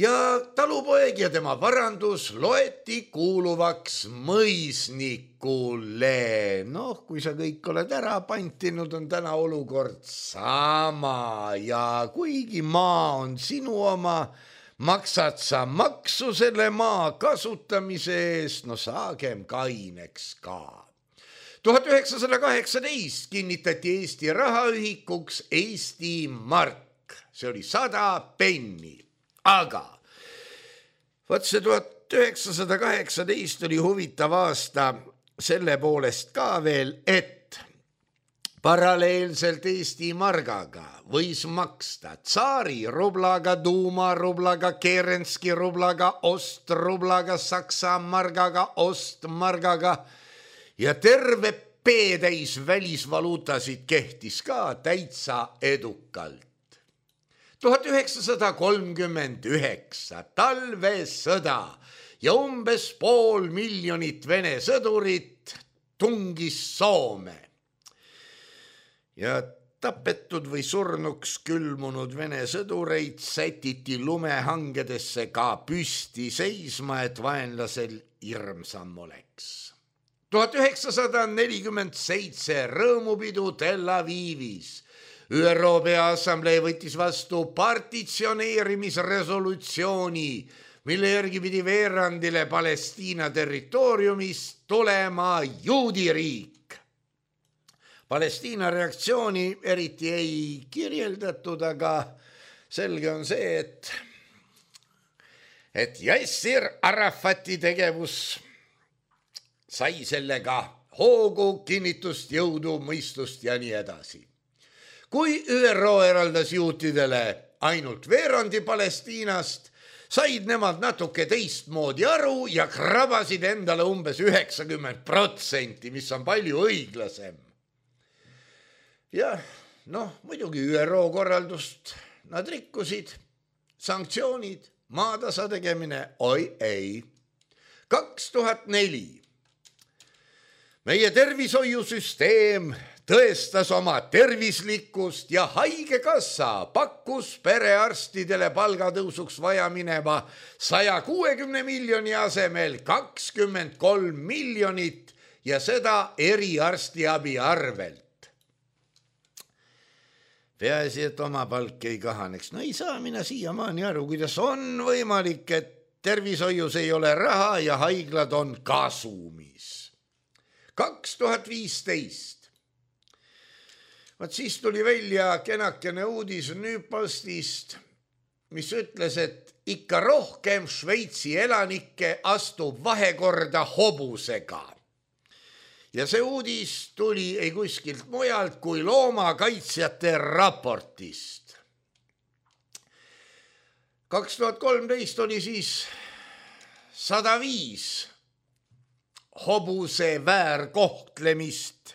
Ja talupoeg ja tema varandus loeti kuuluvaks mõisnikule. Noh, kui sa kõik oled ära pantinud, on täna olukord sama ja kuigi maa on sinu oma, maksad sa maksu selle maa kasutamise eest, no saagem kaineks ka. tuhat üheksasada kaheksateist kinnitati Eesti rahaühikuks Eesti mark, see oli sada penni, aga võt see tuhat üheksasada kaheksateist oli huvitav aasta selle poolest ka veel, et paralleelselt Eesti margaga võis maksta tsaari rublaga, Duuma rublaga, Kerenski rublaga, Ost rublaga, Saksa margaga, Ost margaga ja terve P-täis välisvaluutasid kehtis ka täitsa edukalt. tuhat üheksasada kolmkümmend üheksa talvesõda ja umbes pool miljonit Vene sõdurit tungis Soome. Ja tapetud või surnuks külmunud Vene sõdureid sätiti lumehangedesse ka püsti seisma, et vaenlasel hirmsam oleks. tuhat üheksasada nelikümmend seitse rõõmupidu Tel Avivis. ÜRO Peaassamblee võttis vastu partitsioneerimisresolutsiooni, mille järgi pidi veerandile Palestiina territooriumist tulema juudiriik. Palestiina reaktsiooni eriti ei kirjeldatud, aga selge on see, et, et Yassir Arafati tegevus sai sellega hoogu, kinnitust, jõudu, mõistust ja nii edasi. Kui Ü R O eraldas juutidele ainult veerandi Palestiinast, said nemad natuke teistmoodi aru ja krabasid endale umbes üheksakümmend protsenti, mis on palju õiglasem. Jah, noh, muidugi Ü R O korraldust nad rikkusid, sanktsioonid, maatasa tegemine, oi ei. kaks tuhat neli. Meie tervishoiusüsteem tõestas oma tervislikkust ja haigekassa pakkus perearstidele palgatõusuks vaja mineva saja kuuekümne miljoni asemel kakskümmend kolm miljonit ja seda eriarstiabi arvelt. Peaasi, et oma palk ei kahaneks. No ei saa mina siiamaani aru, kuidas on võimalik, et tervishoius ei ole raha ja haiglad on kasumis. kaks tuhat viisteist. Vaat siis tuli välja kenakene uudis Newpostist, mis ütles, et ikka rohkem Šveitsi elanikke astub vahekorda hobusega. Ja see uudis tuli ei kuskilt mujalt kui loomakaitsjate raportist. kaks tuhat kolmteist oli siis sada viis hobuse väärkohtlemist.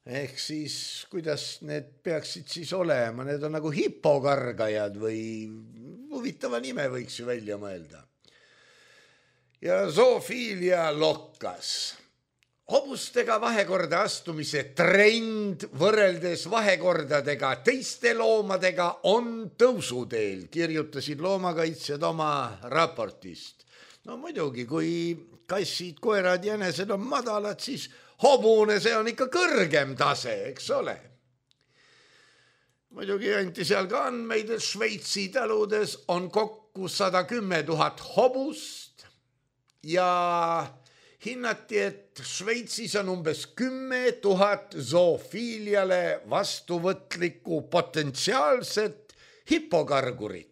Ehk siis, kuidas need peaksid siis olema? Need on nagu hipokargajad või huvitava nime võiks ju välja mõelda. Ja zoofiilia lokkas. Hobustega vahekorda astumise trend võrreldes vahekordadega teiste loomadega on tõusuteel, kirjutasid loomakaitsjad oma raportist. No muidugi, kui kassid, koerad, jänesed on madalad, siis hobune, see on ikka kõrgem tase, eks ole. Muidugi anti seal ka andmeid, et Šveitsi taludes on kokku sada kümme tuhat hobust ja hinnati, et Šveitsis on umbes kümme tuhat zoofiiliale vastuvõtlikku potentsiaalset hipokargurit.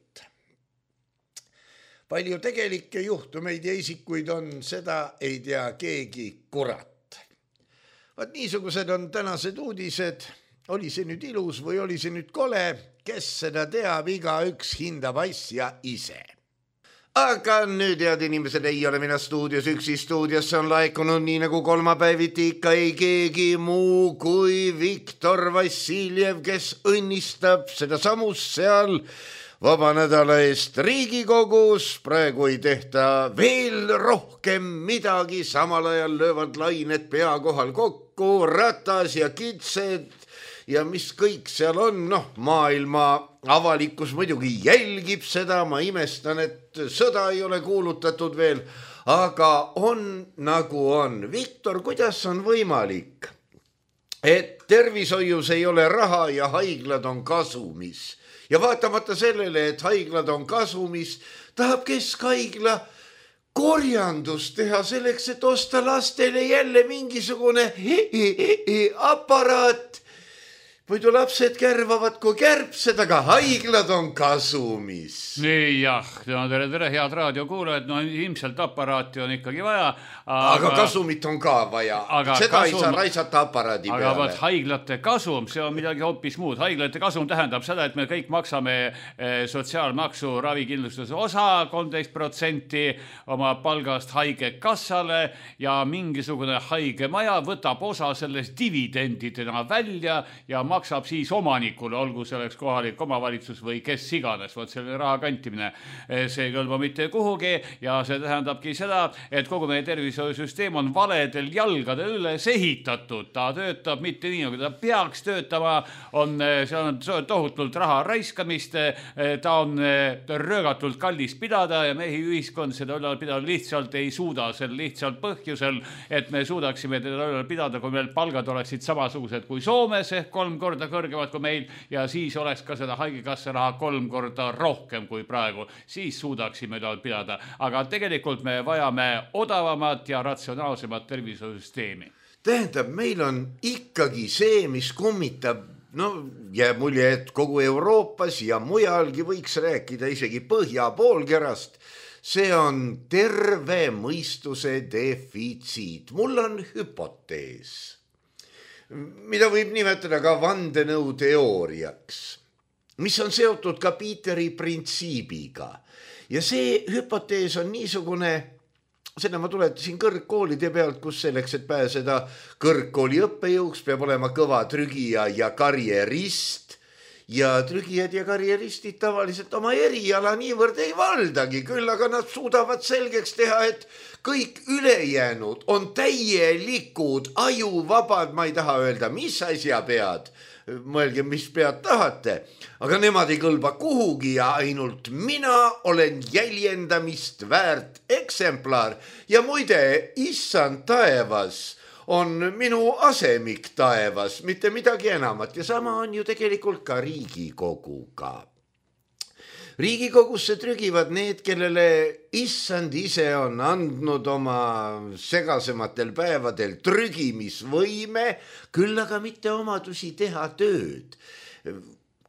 Palju tegelikke juhtumeid ja isikuid on, seda ei tea keegi kurat. Vaat niisugused on tänased uudised, oli see nüüd ilus või oli see nüüd kole, kes seda teab, iga üks hindab asja ise. Aga nüüd, head inimesed, ei ole mina stuudios üksi, stuudiosse on laekunud nii nagu kolmapäeviti ikka ei keegi muu kui Viktor Vassiljev, kes õnnistab seda samust seal vaba nädala eest Riigikogus. Praegu ei tehta veel rohkem midagi, samal ajal löövad lained pea kohal kokku, Ratas ja Kitsed ja mis kõik seal on. Noh, maailma avalikkus muidugi jälgib seda, ma imestan, et sõda ei ole kuulutatud veel, aga on nagu on. Viktor, kuidas on võimalik, et tervishoius ei ole raha ja haiglad on kasumis? Ja vaatamata sellele, et haiglad on kasumis, tahab keskhaigla korjandust teha selleks, et osta lastele jälle mingisugune aparaat. Muidu lapsed kärvavad kui kärbsed, aga haiglad on kasumis. Nii jah, no tere, tere, head raadiokuulajad, no ilmselt aparaati on ikkagi vaja. Aga, aga kasumit on ka vaja. Seda kasum, ei saa raisata aparaadi aga peale. Aga vaat haiglate kasum, see on midagi hoopis muud. Haiglate kasum tähendab seda, et me kõik maksame sotsiaalmaksu ravikindlustuse osa, kolmteist protsenti oma palgast haigekassale ja mingisugune haigemaja võtab osa sellest dividendidena välja ja maksab maksab siis omanikule, olgu selleks kohalik omavalitsus või kes iganes, vot selle raha kantimine. See ei kõlba mitte kuhugi ja see tähendabki seda, et kogu meie tervishoiusüsteem on valedel jalgadel üles ehitatud. Ta töötab mitte nii, nagu ta peaks töötama, on, see on tohutult raha raiskamist, ta on röögatult kallis pidada ja mehi ühiskond seda ülal pidada lihtsalt ei suuda, sel lihtsalt põhjusel, et me suudaksime teda ülal pidada, kui meil palgad oleksid samasugused kui Soomes ehk kolm korda kõrgemad kui meil ja siis oleks ka seda haigekassa raha kolm korda rohkem kui praegu. Siis suudaksime ülal pidada. Aga tegelikult me vajame odavamat ja ratsionaalsemat tervishoiusüsteemi. Tähendab, meil on ikkagi see, mis kummitab, no jääb mulje, et kogu Euroopas ja mujalgi võiks rääkida isegi põhja poolkerast. see on terve mõistuse defitsiit. Mul on hüpotees, mida võib nimetada ka vandenõuteooriaks, mis on seotud ka Peteri printsiibiga. Ja see hüpotees on niisugune, seda ma tuletasin kõrgkoolide pealt, kus selleks, et pääseda kõrgkooli õppejõuks, peab olema kõva trügija ja karjerist. Ja trügijad ja karjeristid tavaliselt oma eriala niivõrd ei valdagi, küll aga nad suudavad selgeks teha, et kõik ülejäänud on täielikud, ajuvabad, ma ei taha öelda, mis asja pead. Mõelge, mis pead tahate, aga nemad ei kõlba kuhugi ja ainult mina olen jäljendamist väärt eksemplar. Ja muide, issand taevas on minu asemik taevas, mitte midagi enamat. Ja sama on ju tegelikult ka Riigikoguga. Riigikogusse trügivad need, kellele issand ise on andnud oma segasematel päevadel trügimisvõime, küll aga mitte omadusi teha tööd,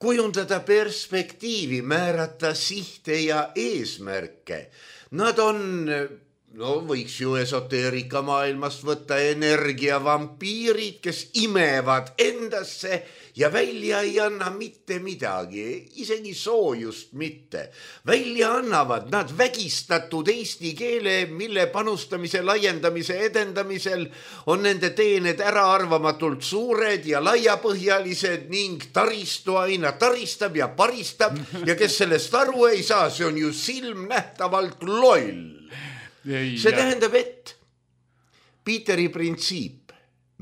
kujundada perspektiivi, määrata sihte ja eesmärke. Nad on, no võiks ju esoteerika maailmast võtta energiavampiirid, kes imevad endasse ja välja ei anna mitte midagi, isegi soojust mitte. Välja annavad nad vägistatud eesti keele, mille panustamise, laiendamise, edendamisel on nende teened äraarvamatult suured ja laiapõhjalised ning taristu aina taristab ja paristab ja kes sellest aru ei saa, see on ju silmnähtavalt loll. See tähendab, et Peteri printsiip.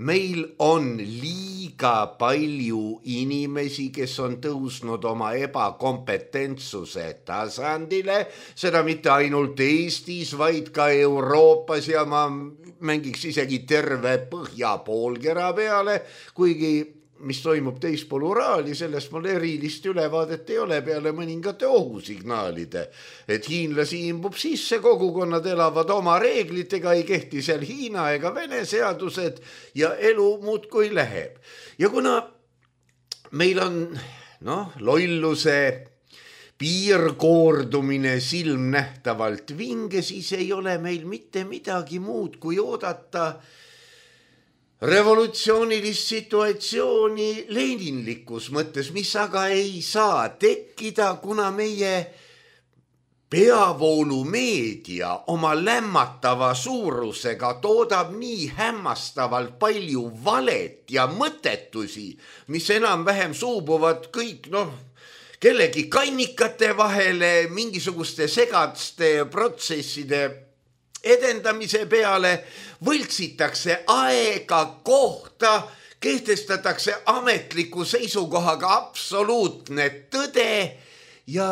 Meil on liiga palju inimesi, kes on tõusnud oma ebakompetentsuse tasandile, seda mitte ainult Eestis, vaid ka Euroopas ja ma mängiks isegi terve põhjapoolkera peale, kuigi mis toimub teispool Uraali, sellest mul erilist ülevaadet ei ole peale mõningate ohusignaalide. Et hiinlasi imbub sisse, kogukonnad elavad oma reeglitega, ei kehti seal Hiina ega Vene seadused ja elu muudkui läheb. Ja kuna meil on noh, lolluse piirkoordumine silmnähtavalt vinge, siis ei ole meil mitte midagi muud kui oodata revolutsioonilist situatsiooni leninlikus mõttes, mis aga ei saa tekkida, kuna meie peavoolumeedia oma lämmatava suurusega toodab nii hämmastavalt palju valet ja mõttetusi, mis enam-vähem suubuvad kõik, noh, kellegi kannikate vahele, mingisuguste segaste protsesside edendamise peale, võltsitakse aega, kohta, kehtestatakse ametliku seisukohaga absoluutne tõde ja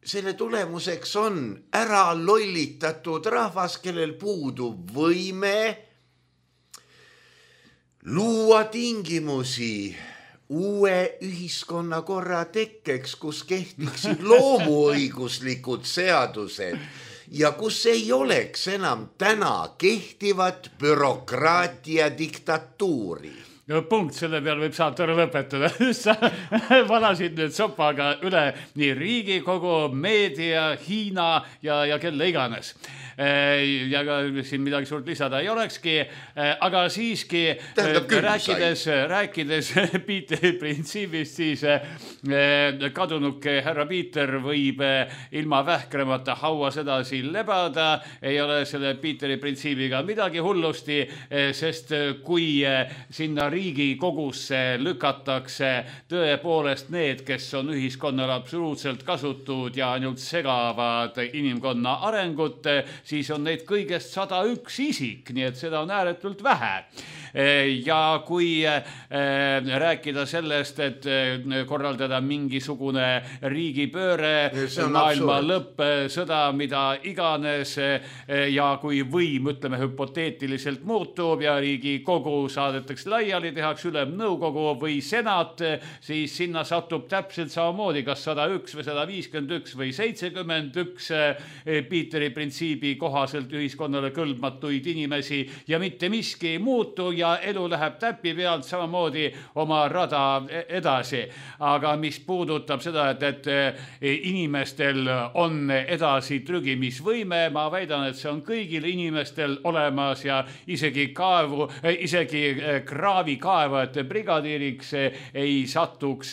selle tulemuseks on ära lollitatud rahvas, kellel puudub võime luua tingimusi uue ühiskonnakorra tekkeks, kus kehtiksid loomuõiguslikud seadused ja kus ei oleks enam täna kehtivat bürokraatia diktatuuri. No punkt, selle peal võib saatore lõpetada. Sa valasid nüüd sopaga üle nii Riigikogu, meedia, Hiina ja, ja kelle iganes. Ja ka siin midagi suurt lisada ei olekski, aga siiski rääkides, rääkides Peteri printsiibist, siis kadunuke härra Peter võib ilma vähkremata hauas edasi lebada, ei ole selle Peteri printsiibiga midagi hullusti, sest kui sinna Riigikogusse lükatakse tõepoolest need, kes on ühiskonnale absoluutselt kasutud ja ainult segavad inimkonna arengut, siis on neid kõigest sada üks isik, nii et seda on ääretult vähe. Ja kui rääkida sellest, et korraldada mingisugune riigipööre, maailma lõpp, sõda, mida iganes, ja kui võim, ütleme, hüpoteetiliselt muutub ja Riigikogu saadetakse laiali, tehakse ülemnõukogu või senat, siis sinna satub täpselt samamoodi, kas sada üks või sada viiskümmend üks või seitsekümmend üks Peteri printsiibi kohaselt ühiskonnale kõlbmatuid inimesi ja mitte miski ei muutu ja elu läheb täpi pealt samamoodi oma rada edasi. Aga mis puudutab seda, et, et inimestel on edasi trügimisvõime, ma väidan, et see on kõigil inimestel olemas ja isegi kaevu, isegi kraavikaevajate brigadiiriks ei satuks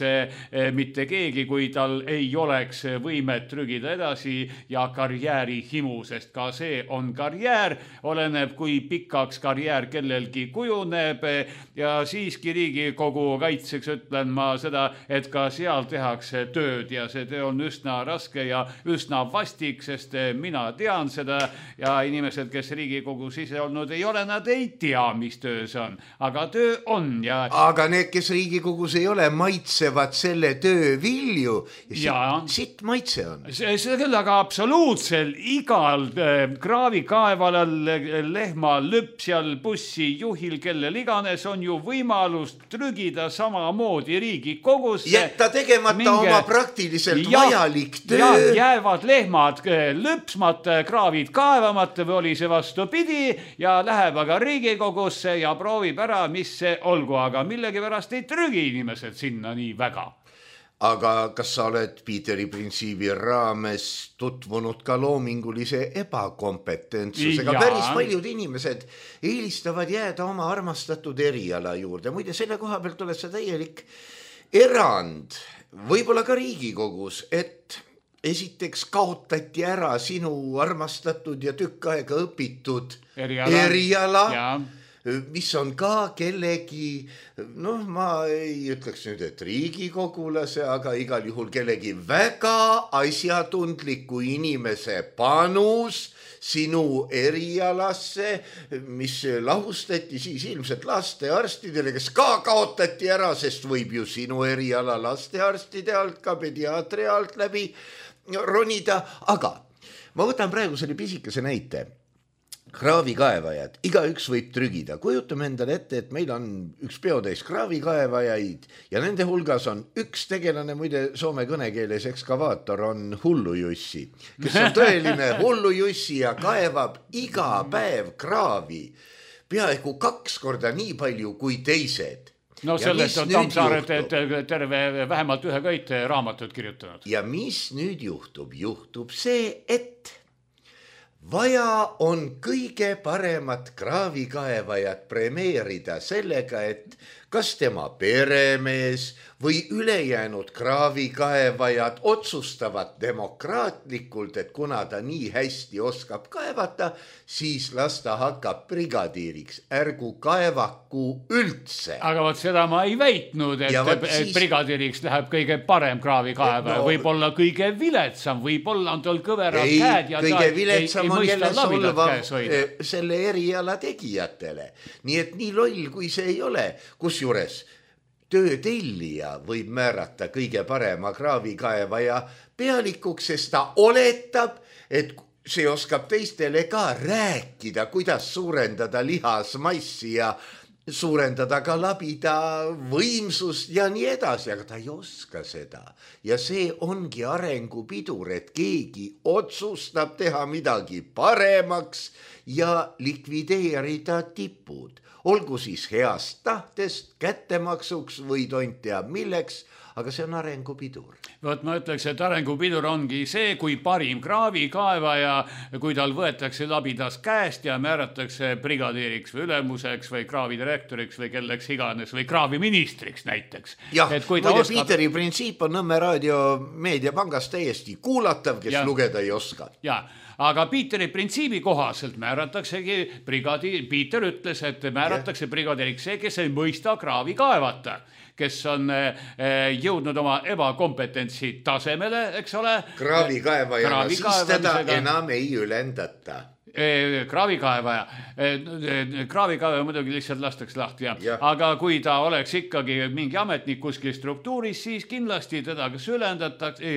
mitte keegi, kui tal ei oleks võimet trügida edasi ja karjääri himu, sest ka see on karjäär, oleneb kui pikaks karjäär kellelgi kujuneb ja siiski Riigikogu kaitseks ütlen ma seda, et ka seal tehakse tööd ja see töö on üsna raske ja üsna vastik, sest mina tean seda ja inimesed, kes Riigikogus ise olnud ei ole, nad ei tea, mis töö see on, aga töö on ja aga need, kes Riigikogus ei ole, maitsevad selle töö vilju ja sitt, sitt maitse on. See, see küll, aga absoluutselt igal äh, kraavikaevalal, lehma lüpsjal, bussi juhil, kellel iganes on ju võimalus trügida samamoodi Riigikogusse. Jätta tegemata minge, oma praktiliselt ja, vajalik töö. Ja jäävad lehmad lüpsmata, kraavid kaevamata või oli see vastupidi ja läheb aga Riigikogusse ja proovib ära, mis see olgu, aga millegipärast ei trügi inimesed sinna nii väga. Aga kas sa oled Piiteri printsiibi raames tutvunud ka loomingulise ebakompetentsusega? Päris paljud inimesed eelistavad jääda oma armastatud eriala juurde. Muide, selle koha pealt oled sa täielik erand, võib-olla ka Riigikogus, et esiteks kaotati ära sinu armastatud ja tükk aega õpitud eriala, eriala mis on ka kellegi, noh, ma ei ütleks nüüd, et riigikogulase, aga igal juhul kellegi väga asjatundliku inimese panus sinu erialasse, mis lahustati siis ilmselt lastearstidele, kes ka kaotati ära, sest võib ju sinu eriala lastearstide alt ka pediaatri alt läbi ronida, aga ma võtan praegu selle pisikese näite. Kraavikaevajad, igaüks võib trügida. Kujutame endale ette, et meil on üks peotäis kraavikaevajaid ja nende hulgas on üks tegelane, muide soome kõnekeeles ekskavaator on hullujussi, kes on tõeline hullujussi ja kaevab iga päev kraavi peaaegu kaks korda nii palju kui teised. No sellest on Tammsaaret terve vähemalt ühe köite raamatut kirjutanud. Ja mis nüüd juhtub? Juhtub see, et vaja on kõige paremat kraavikaevajat premeerida sellega, et kas tema peremees või ülejäänud kraavikaevajad otsustavad demokraatlikult, et kuna ta nii hästi oskab kaevata, siis las ta hakkab brigadiiriks, ärgu kaevaku üldse. Aga võt seda ma ei väitnud, et, et siis brigadiiriks läheb kõige parem kraavikaevaja, no, võib-olla kõige viletsam, võib-olla on tol kõverad ei, käed ja kõige viletsam on jälle solvav selle eriala tegijatele. Nii et nii loll, kui see ei ole, kus juures töötellija võib määrata kõige parema kraavikaevaja pealikuks, sest ta oletab, et see oskab teistele ka rääkida, kuidas suurendada lihasmassi ja suurendada ka labida võimsust ja nii edasi, aga ta ei oska seda. Ja see ongi arengupidur, et keegi otsustab teha midagi paremaks ja likvideerida tipud. Olgu siis heast tahtest, kättemaksuks või tont teab milleks, aga see on arengupidur. Võt ma ütleks, et arengupidur ongi see, kui parim kraavikaevaja, kui tal võetakse labidas käest ja määratakse brigadiiriks või ülemuseks või kraavidirektoriks või kelleks iganes või kraaviministriks näiteks. Jah, muide oskab... Piiteri printsiip on Nõmme raadio meediapangas täiesti kuulatav, kes ja. Lugeda ei oska. Ja. Aga Piiteri printsiibi kohaselt määrataksegi brigadiir, Piiter ütles, et määratakse yeah. brigadiiriks see, kes ei mõista kraavi kaevata, kes on jõudnud oma ebakompetentsi tasemele, eks ole. Kraavikaevajana, siis teda enam ei ülendata. Kraavikaevaja, kraavikaevaja muidugi lihtsalt lastakse lahti, ja. Ja. Aga kui ta oleks ikkagi mingi ametnik kuskil struktuuris, siis kindlasti teda kas ülendatakse,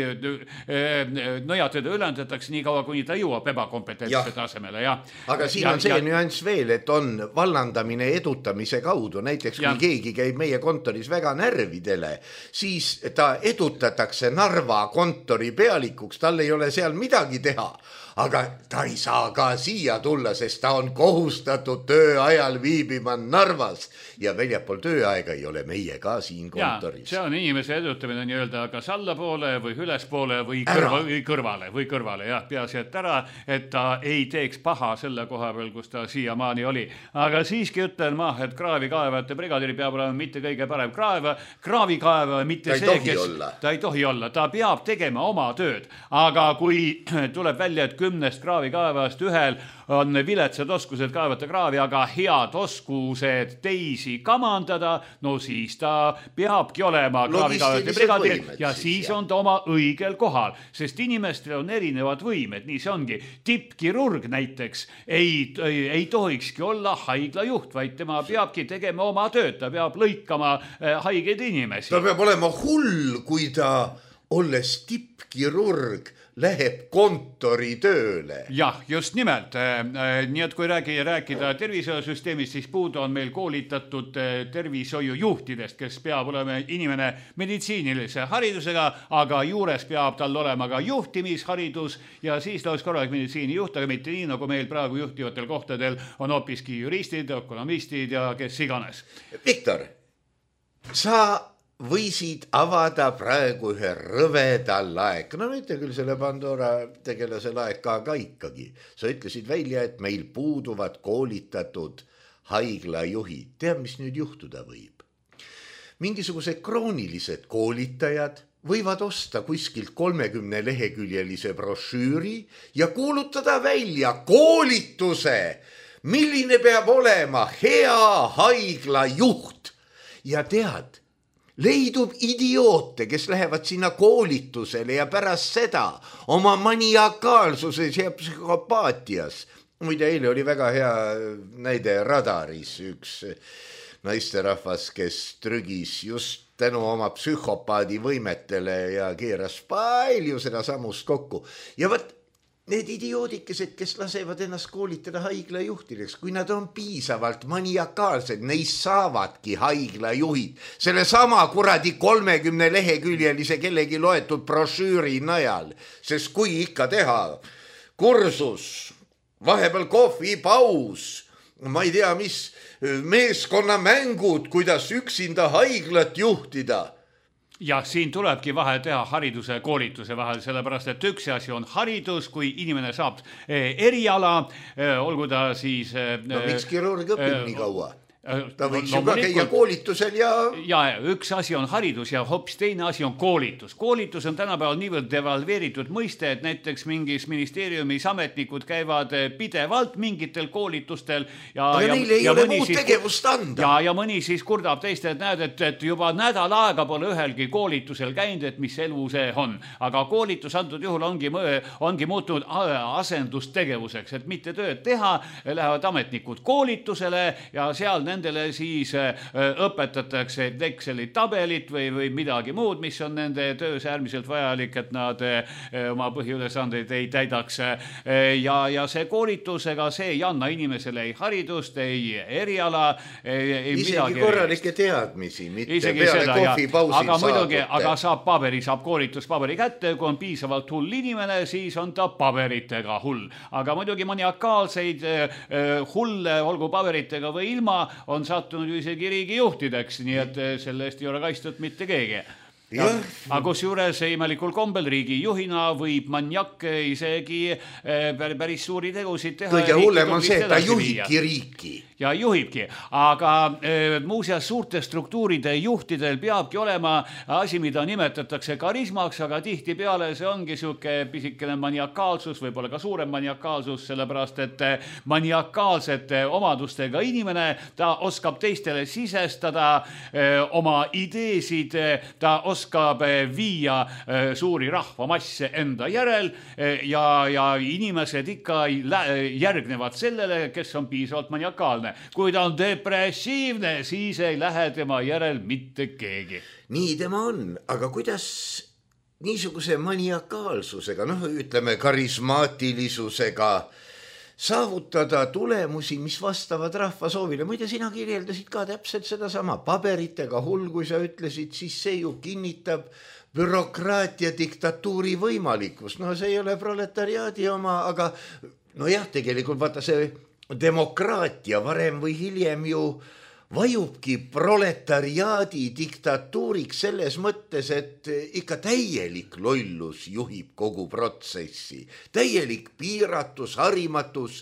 nõjad teda ülendatakse nii kaua, kuni ta jõuab ebakompetentse tasemele. Ja. Aga siin ja, on see ja, nüanss veel, et on vallandamine edutamise kaudu, näiteks kui ja. Keegi käib meie kontoris väga närvidele, siis ta edutatakse Narva kontori pealikuks, tal ei ole seal midagi teha. aga ta ei saa ka siia tulla, sest ta on kohustatud tööajal viibima Narvas ja väljapool tööaega ei ole meie ka siin kontoris. See on inimese edutamine nii-öelda kas allapoole või ülespoole või, kõrva, või kõrvale või kõrvale, jah, peaasi, et ära, et ta ei teeks paha selle koha peal, kus ta siiamaani oli. Aga siiski ütlen ma, et kraavikaevajate brigadiri peab olema mitte kõige parem kraeva, kraavikaeva, mitte ta see, kes olla. ta ei tohi olla, ta peab tegema oma tööd, aga kui tuleb välja, et kümnest kraavikaevast ühel on viletsad oskused kaevata kraavi, aga head oskused teisi kamandada, no siis ta peabki olema kraavikaevajate brigadir ja siis, siis on ta oma õigel kohal, sest inimestel on erinevad võimed, nii see ongi. Tippkirurg näiteks ei, ei, ei tohikski olla haiglajuht, vaid tema peabki tegema oma tööd, ta peab lõikama haigeid inimesi. Ta peab olema hull, kui ta olles tippkirurg läheb kontori tööle. Jah, just nimelt. Nii et kui räägi, rääkida tervishoiusüsteemist, siis puudu on meil koolitatud tervishoiujuhtidest, kes peab olema inimene meditsiinilise haridusega, aga juures peab tal olema ka juhtimisharidus ja siis ta oleks korralik meditsiinijuht, aga mitte nii, nagu meil praegu juhtivatel kohtadel on hoopiski juristid, ökonomistid ja kes iganes. Viktor, sa võisid avada praegu ühe rõveda laeka. No mitte küll selle Pandora tegelase laeka, aga ikkagi. Sa ütlesid välja, et meil puuduvad koolitatud haiglajuhid. Tead, mis nüüd juhtuda võib? Mingisugused kroonilised koolitajad võivad osta kuskilt kolmekümne leheküljelise brošüüri ja kuulutada välja koolituse, milline peab olema hea haiglajuht. Ja tead, leidub idioote, kes lähevad sinna koolitusele ja pärast seda oma maniakaalsuses ja psühhopaatias. Muide, eile oli väga hea näide Radaris üks naisterahvas, kes trügis just tänu oma psühhopaadi võimetele ja keeras palju seda samust kokku. Ja võt, need idioodikesed, kes lasevad ennast koolitada haiglajuhtideks, kui nad on piisavalt maniakaalsed, neist saavadki haiglajuhid. Selle sama kuradi kolmekümne leheküljelise kellegi loetud brošüüri najal, sest kui ikka teha kursus, vahepeal kohvi, paus, ma ei tea, mis meeskonnamängud, kuidas üksinda haiglat juhtida. Ja siin tulebki vahe teha hariduse ja koolituse vahel, sellepärast, et üks asi on haridus, kui inimene saab eriala, olgu ta siis... No miks kirurg õpib nii kaua? Ta võiks ju ka käia koolitusel ja... Ja üks asi on haridus ja hoopis teine asi on koolitus. Koolitus on tänapäeval niivõrd devalveeritud mõiste, et näiteks mingis ministeeriumis ametnikud käivad pidevalt mingitel koolitustel. Ja, aga ja, neile ei ja ole muud siis, tegevust anda. Ja, ja mõni siis kurdab teist, et näed, et, et juba nädal aega pole ühelgi koolitusel käinud, et mis elu see on. Aga koolitus antud juhul ongi, ongi muutunud asendustegevuseks, et mitte tööd teha, lähevad ametnikud koolitusele ja seal nendele siis õpetatakse Exceli tabelit või, või midagi muud, mis on nende töös äärmiselt vajalik, et nad oma põhiülesandeid ei täidaks. Ja, ja see koolitusega see ei anna inimesele ei haridust, ei eriala, ei isegi midagi. korralikke teadmisi, mitte isegi peale seda, kohvipausil aga muidugi, saadute. aga saab paberi, saab koolituspaberi kätte, kui on piisavalt hull inimene, siis on ta paberitega hull. Aga muidugi maniakaalseid hulle, olgu paberitega või ilma, on sattunud ju isegi riigijuhtideks, nii et selle eest ei ole kaitstud mitte keegi. Ja, aga kus juures imelikul kombel riigi juhina võib maniak isegi päris suuri tegusid teha. Kõige hullem on see, et ta juhibki riiki. Ja juhibki, aga e, muuseas suurte struktuuride juhtidel peabki olema asi, mida nimetatakse karismaks, aga tihti peale see ongi siuke pisikene maniakaalsus, võib-olla ka suurem maniakaalsus, sellepärast et maniakaalsete omadustega inimene, ta oskab teistele sisestada e, oma ideesid, ta oskab viia e, suuri rahvamasse enda järel e, ja, ja inimesed ikka järgnevad sellele, kes on piisavalt maniakaalne. Kui ta on depressiivne, siis ei lähe tema järel mitte keegi. Nii tema on, aga kuidas niisuguse maniakaalsusega, noh ütleme karismaatilisusega saavutada tulemusi, mis vastavad rahva soovile. Muide, sina kirjeldasid ka täpselt sedasama paberitega hull, kui sa ütlesid, siis see ju kinnitab bürokraatia diktatuuri võimalikkus. No see ei ole proletariaadi oma, aga nojah, tegelikult vaata see demokraatia varem või hiljem ju vajubki proletariaadi diktatuuriks selles mõttes, et ikka täielik lollus juhib kogu protsessi. Täielik piiratus, harimatus.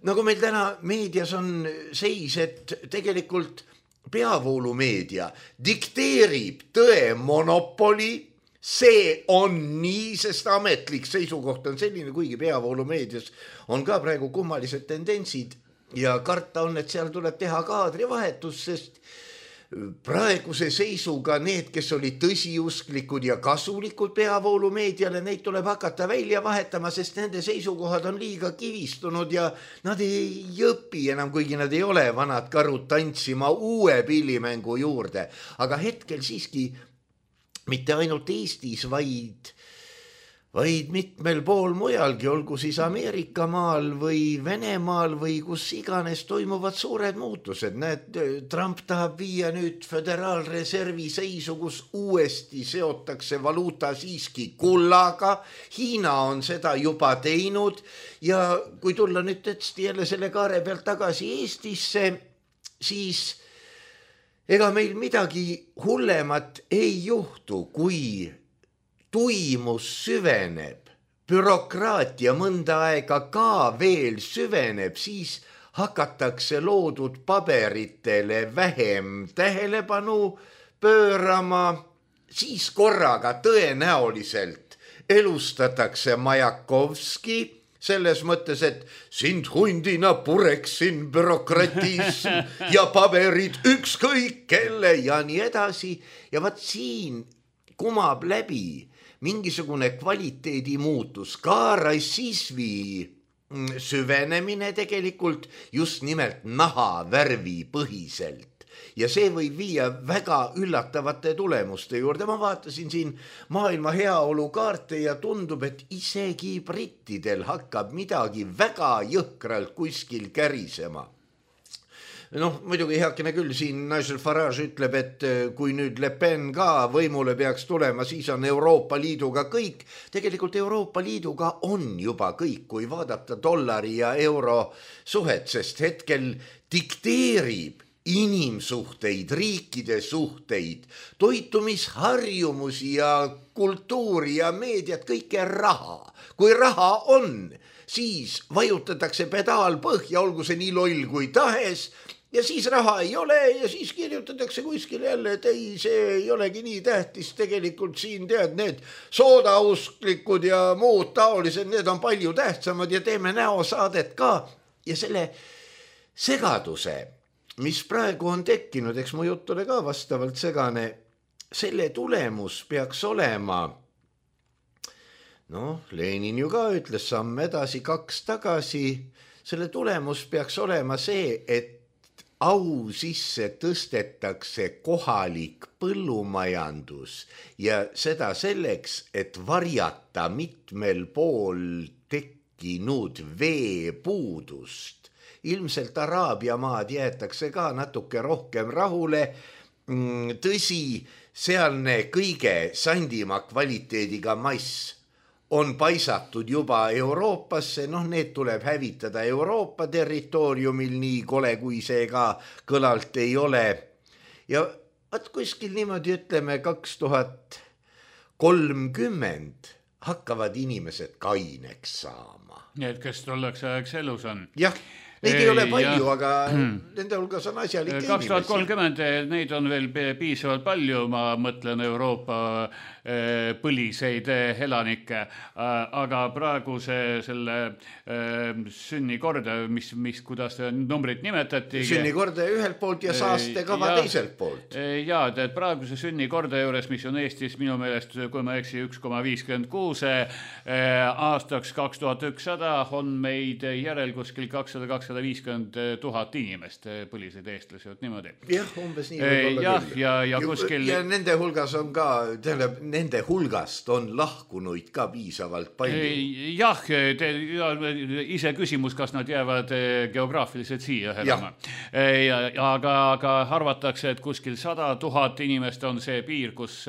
Nagu meil täna meedias on seis, et tegelikult peavoolumeedia dikteerib tõe monopoli. See on nii, sest ametlik seisukoht on selline, kuigi peavoolumeedias on ka praegu kummalised tendentsid. Ja karta on, et seal tuleb teha kaadrivahetus, sest praeguse seisuga need, kes olid tõsiusklikud ja kasulikud peavoolumeediale, neid tuleb hakata välja vahetama, sest nende seisukohad on liiga kivistunud ja nad ei õpi enam, kuigi nad ei ole vanad karud tantsima uue pillimängu juurde. Aga hetkel siiski mitte ainult Eestis, vaid vaid mitmel pool mujalgi, olgu siis Ameerika maal või Venemaal või kus iganes toimuvad suured muutused. Näed, Trump tahab viia nüüd föderaalreservi seisu, kus uuesti seotakse valuuta siiski kullaga. Hiina on seda juba teinud ja kui tulla nüüd tõesti jälle selle kaare pealt tagasi Eestisse, siis ega meil midagi hullemat ei juhtu, kui tuimus süveneb, bürokraatia mõnda aega ka veel süveneb, siis hakatakse loodud paberitele vähem tähelepanu pöörama, siis korraga tõenäoliselt elustatakse Majakovski selles mõttes, et sind hundina pureksin bürokratism ja paberid ükskõik kelle ja nii edasi. Ja vaat siin kumab läbi mingisugune kvaliteedi muutus, ka rassismi süvenemine tegelikult just nimelt nahavärvi põhiselt. Ja see võib viia väga üllatavate tulemuste juurde. Ma vaatasin siin maailma heaolu kaarte ja tundub, et isegi brittidel hakkab midagi väga jõhkralt kuskil kärisema. Noh, muidugi heakene küll, siin Nigel Farage ütleb, et kui nüüd Le Pen ka võimule peaks tulema, siis on Euroopa Liiduga kõik. Tegelikult Euroopa Liiduga on juba kõik, kui vaadata dollari ja euro suhet, sest hetkel dikteerib inimsuhteid, riikide suhteid, toitumisharjumusi ja kultuuri ja meediat, kõike raha. Kui raha on, siis vajutatakse pedaal põhja, olgu see nii loll kui tahes, ja siis raha ei ole ja siis kirjutatakse kuskil jälle, et ei, see ei olegi nii tähtis. Tegelikult siin tead, need soodausklikud ja muud taolised, need on palju tähtsamad ja teeme näosaadet ka. Ja selle segaduse, mis praegu on tekkinud, eks mu jutt ole ka vastavalt segane, selle tulemus peaks olema, noh, Lenin ju ka ütles samm edasi, kaks tagasi, selle tulemus peaks olema see, et au sisse tõstetakse kohalik põllumajandus ja seda selleks, et varjata mitmel pool tekkinud veepuudust. Ilmselt Araabia maad jäetakse ka natuke rohkem rahule. Tõsi, sealne kõige sandima kvaliteediga mass on paisatud juba Euroopasse, noh, need tuleb hävitada Euroopa territooriumil, nii kole kui see ka kõlalt ei ole. Ja vaat kuskil niimoodi ütleme kaks tuhat kolmkümmend hakkavad inimesed kaineks saama. Need, kes tolleks ajaks elus on. Jah. Neid ei ole palju, ja aga nende hulgas on asjalik inimesi. kaks tuhat kolmkümmend neid on veel piisavalt palju, ma mõtlen Euroopa põliseid elanikke, aga praegu see selle sünnikorda, mis, mis, kuidas numbrid nimetati. Sünnikorda ühelt poolt ja saastekava ja, teiselt poolt. Ja, et praegu see sünnikorda juures, mis on Eestis minu meelest, kui ma eksi, üks koma viiskümmend kuus aastaks kaks tuhat ükssada on meid järel kuskil kakssada kakssada sada viiskümmend tuhat inimest, põlised eestlasi, et niimoodi. Jah, umbes nii võib olla ja, küll. Ja, ja, kuskil... ja nende hulgas on ka, tähendab, nende hulgast on lahkunuid ka piisavalt palju. Jah, te, ja, ise küsimus, kas nad jäävad geograafiliselt siia elama. Ja, aga, aga arvatakse, et kuskil sada tuhat inimest on see piir, kus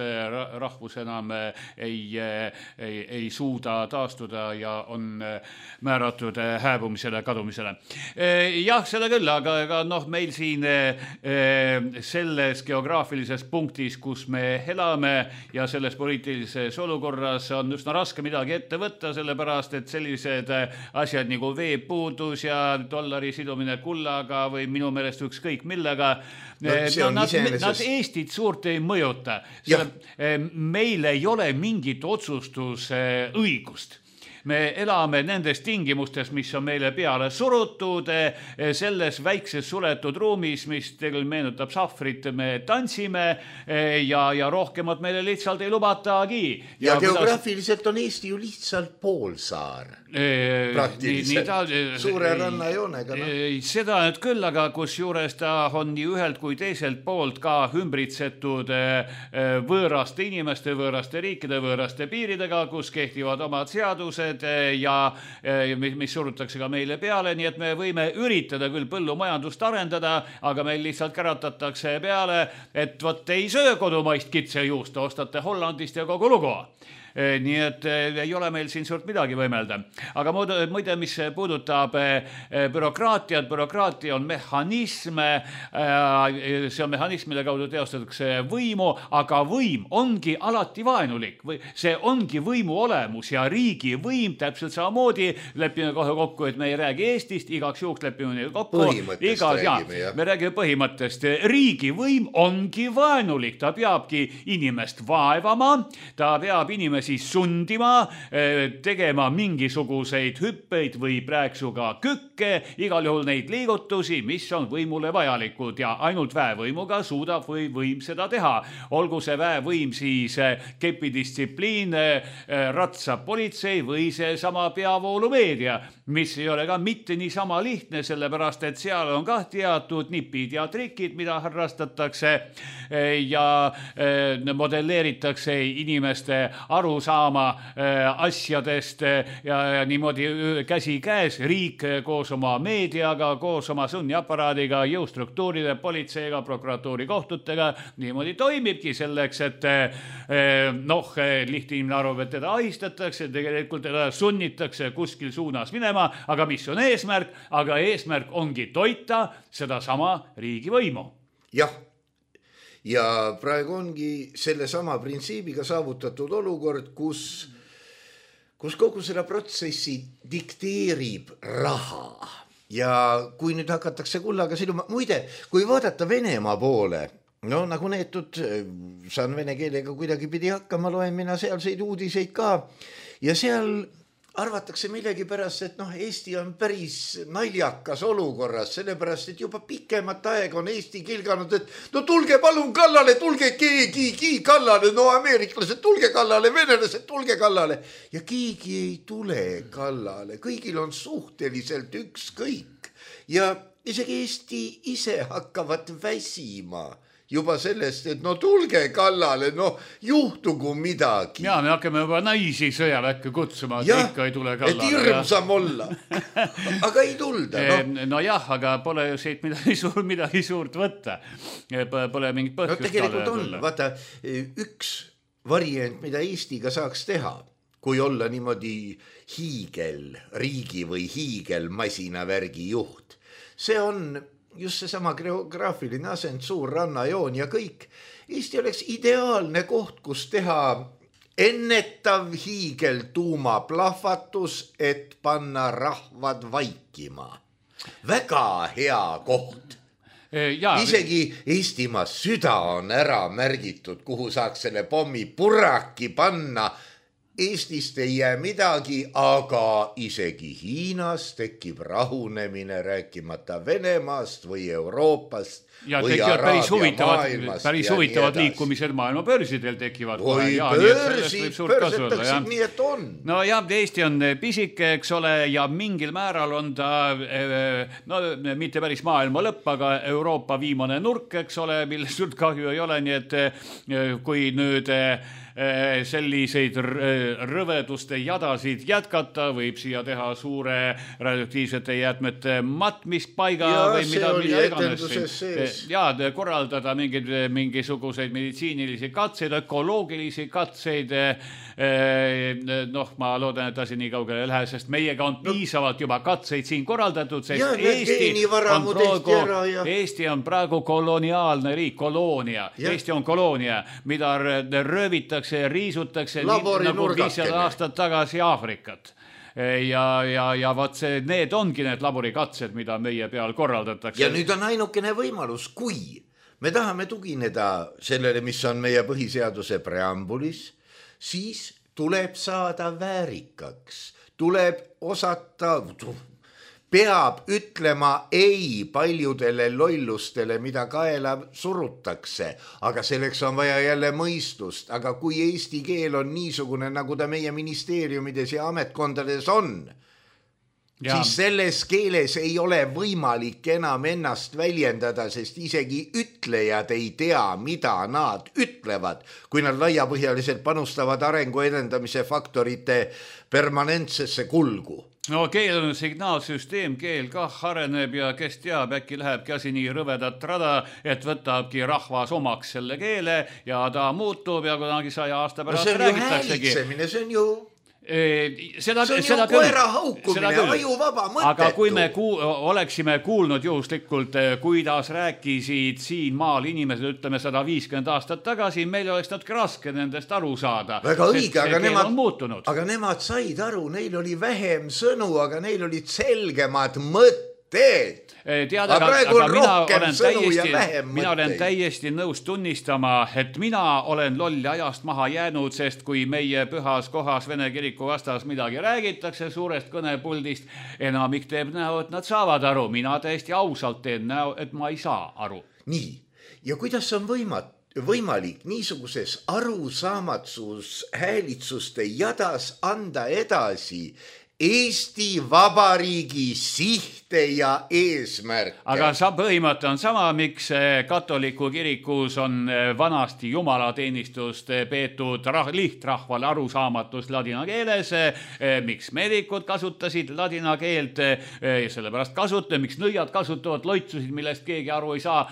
rahvus enam ei, ei, ei suuda taastuda ja on määratud hääbumisele, kadumisele. Jah, seda küll, aga, aga noh, meil siin selles geograafilises punktis, kus me elame ja selles poliitilises olukorras on üsna raske midagi ette võtta, sellepärast, et sellised asjad nagu veepuudus ja dollari sidumine kullaga või minu meelest ükskõik millega, no, no, nad, iseenesest... nad Eestit suurt ei mõjuta. Meil ei ole mingit otsustusõigust. Me elame nendes tingimustes, mis on meile peale surutud, selles väikses suletud ruumis, mis tegelikult meenutab sahvrit, me tantsime ja, ja rohkemat meile lihtsalt ei lubatagi. Ja, ja geograafiliselt kuidas... on Eesti ju lihtsalt poolsaar. Praktiliselt. Nii, nii ta, suure rannajoonega. No. Seda nüüd küll, aga kus juures ta on nii ühelt kui teiselt poolt ka ümbritsetud võõraste inimeste, võõraste riikide, võõraste piiridega, kus kehtivad omad seadused ja mis surutakse ka meile peale, nii et me võime üritada küll põllumajandust arendada, aga meil lihtsalt käratatakse peale, et vot ei söö kodumaist kitsejuust, ostate Hollandist ja kogu lugu. Nii et ei ole meil siin suurt midagi võimelda. Aga muide, mis puudutab bürokraatiat, bürokraatia on mehhanism, see on mehhanism, mille kaudu teostatakse võimu, aga võim ongi alati vaenulik. See ongi võimu olemus ja riigi võim täpselt samamoodi, lepime kohe kokku, et me ei räägi Eestist, igaks juhuks lepime neil kokku. Põhimõttest Igas, räägime, jah. Me räägime põhimõttest. Riigi võim ongi vaenulik, ta peabki inimest vaevama, ta peab inimesi siis sundima, tegema mingisuguseid hüppeid või prääksuga kükke, igal juhul neid liigutusi, mis on võimule vajalikud ja ainult väevõimuga suudab või võim seda teha. Olgu see väevõim siis kepidistsipliin, ratsa politsei või see sama peavoolumeedia, mis ei ole ka mitte nii sama lihtne, sellepärast et seal on ka teatud nipid ja trikid, mida harrastatakse ja modelleeritakse inimeste aru saama asjadest ja, ja niimoodi käsi käes riik koos oma meediaga, koos oma sunniaparaadiga, jõustruktuuride, politseiga, prokuratuuri kohtutega niimoodi toimibki selleks, et noh, lihtne inimene arvab, et teda ahistatakse, tegelikult teda sunnitakse kuskil suunas minema, aga mis on eesmärk? Aga eesmärk ongi toita seda sama riigivõimu. Jah. Ja praegu ongi selle sama printsiibiga saavutatud olukord, kus, kus kogu seda protsessi dikteerib raha. Ja kui nüüd hakatakse kullaga siduma, muide, kui vaadata Venemaa poole, no nagu neetud, saan vene keelega kuidagi pidi hakkama, loen mina sealseid uudiseid ka ja seal arvatakse millegi pärast, et noh, Eesti on päris naljakas olukorras, sellepärast, et juba pikemat aega on Eesti kilganud, et no tulge palun kallale, tulge keegi kallale, no ameeriklased tulge kallale, venelased tulge kallale ja keegi ei tule kallale, kõigil on suhteliselt ükskõik ja isegi Eesti ise hakkavad väsima juba sellest, et no tulge kallale, no juhtugu midagi. Ja me hakkame juba naisi sõjaväkke kutsuma, et ja, ikka ei tule kallale. Et hirmsam olla. Aga ei tulda. No, no jah, aga pole ju siit midagi, suur, midagi suurt võtta. Pole mingit põhjust. No tegelikult on, vaata, üks variant, mida Eestiga saaks teha, kui olla niimoodi hiigel riigi või hiigel masinavärgi juht. See on just see sama geograafiline asend, suur rannajoon ja kõik. Eesti oleks ideaalne koht, kus teha ennetav hiigel tuumaplahvatus, et panna rahvad vaikima. Väga hea koht. Ja, isegi Eestimaa süda on ära märgitud, kuhu saaks selle pommi purraki panna. Eestist ei jää midagi, aga isegi Hiinas tekib rahunemine, rääkimata Venemaast või Euroopast ja või tekivad päris huvitavad, päris huvitavad ja liikumised maailma börsidel tekivad. Või börsid, börsetakse, nii et on. No jah, Eesti on pisike, eks ole, ja mingil määral on ta, no mitte päris maailma lõpp, aga Euroopa viimane nurk, eks ole, millest suurt kahju ei ole, nii et kui nüüd selliseid rõveduste jadasid jätkata, võib siia teha suure radioaktiivsete jäätmete matmispaiga ja, või mida, mida iganes. Ja korraldada mingid, mingisuguseid meditsiinilisi katseid, ökoloogilisi katseid. Noh, ma loodan, et asi nii kaugele ei lähe, sest meiega on piisavalt juba katseid siin korraldatud, sest ja, Eesti on, praegu, ja... Eesti on praegu koloniaalne riik, koloonia. Ja. Eesti on koloonia, mida röövitakse ja riisutakse nii, nagu viissada aastat tagasi Aafrikat. Ja, ja, ja vaat see, need ongi need laborikatsed, mida meie peal korraldatakse. Ja nüüd on ainukene võimalus, kui me tahame tugineda sellele, mis on meie põhiseaduse preambulis, siis tuleb saada väärikaks, tuleb osata... peab ütlema ei paljudele lollustele, mida kaela surutakse, aga selleks on vaja jälle mõistust, aga kui eesti keel on niisugune, nagu ta meie ministeeriumides ja ametkondades on, ja. Siis selles keeles ei ole võimalik enam ennast väljendada, sest isegi ütlejad ei tea, mida nad ütlevad, kui nad laiapõhjaliselt panustavad arengu edendamise faktorite permanentsesse kulgu. No keel on signaalsüsteem, keel kah areneb ja kes teab, äkki lähebki asi nii rõvedat rada, et võtabki rahvas omaks selle keele ja ta muutub ja kunagi saja aasta pärast no räägitaksegi. See on ju häälitsemine, see on ju... Seda, see on seda ju koera haukumine, ajuvaba, mõttetu. Aga kui me ku- oleksime kuulnud juhuslikult, kuidas rääkisid siin maal inimesed, ütleme sada viiskümmend aastat tagasi, meil oleks natuke raske nendest aru saada. Väga õige, aga nemad, aga nemad said aru, neil oli vähem sõnu, aga neil olid selgemad mõtted. Tead, aga, aga mina, olen täiesti, mina olen täiesti nõus tunnistama, et mina olen lolli ajast maha jäänud, sest kui meie pühas kohas Vene kiriku vastas midagi räägitakse suurest kõnepuldist, enamik teeb näo, et nad saavad aru. Mina täiesti ausalt teen näo, et ma ei saa aru. Nii, ja kuidas on võimat, võimalik niisuguses arusamatsus häälitsuste jadas anda edasi Eesti Vabariigi sihte ja eesmärke. Aga sa põhimõte on sama, miks katoliku kirikus on vanasti jumalateenistust peetud rah- lihtrahvale arusaamatus ladina keeles, miks meedikud kasutasid ladina keelt, sellepärast kasuta, miks nõiad kasutavad loitsusid, millest keegi aru ei saa.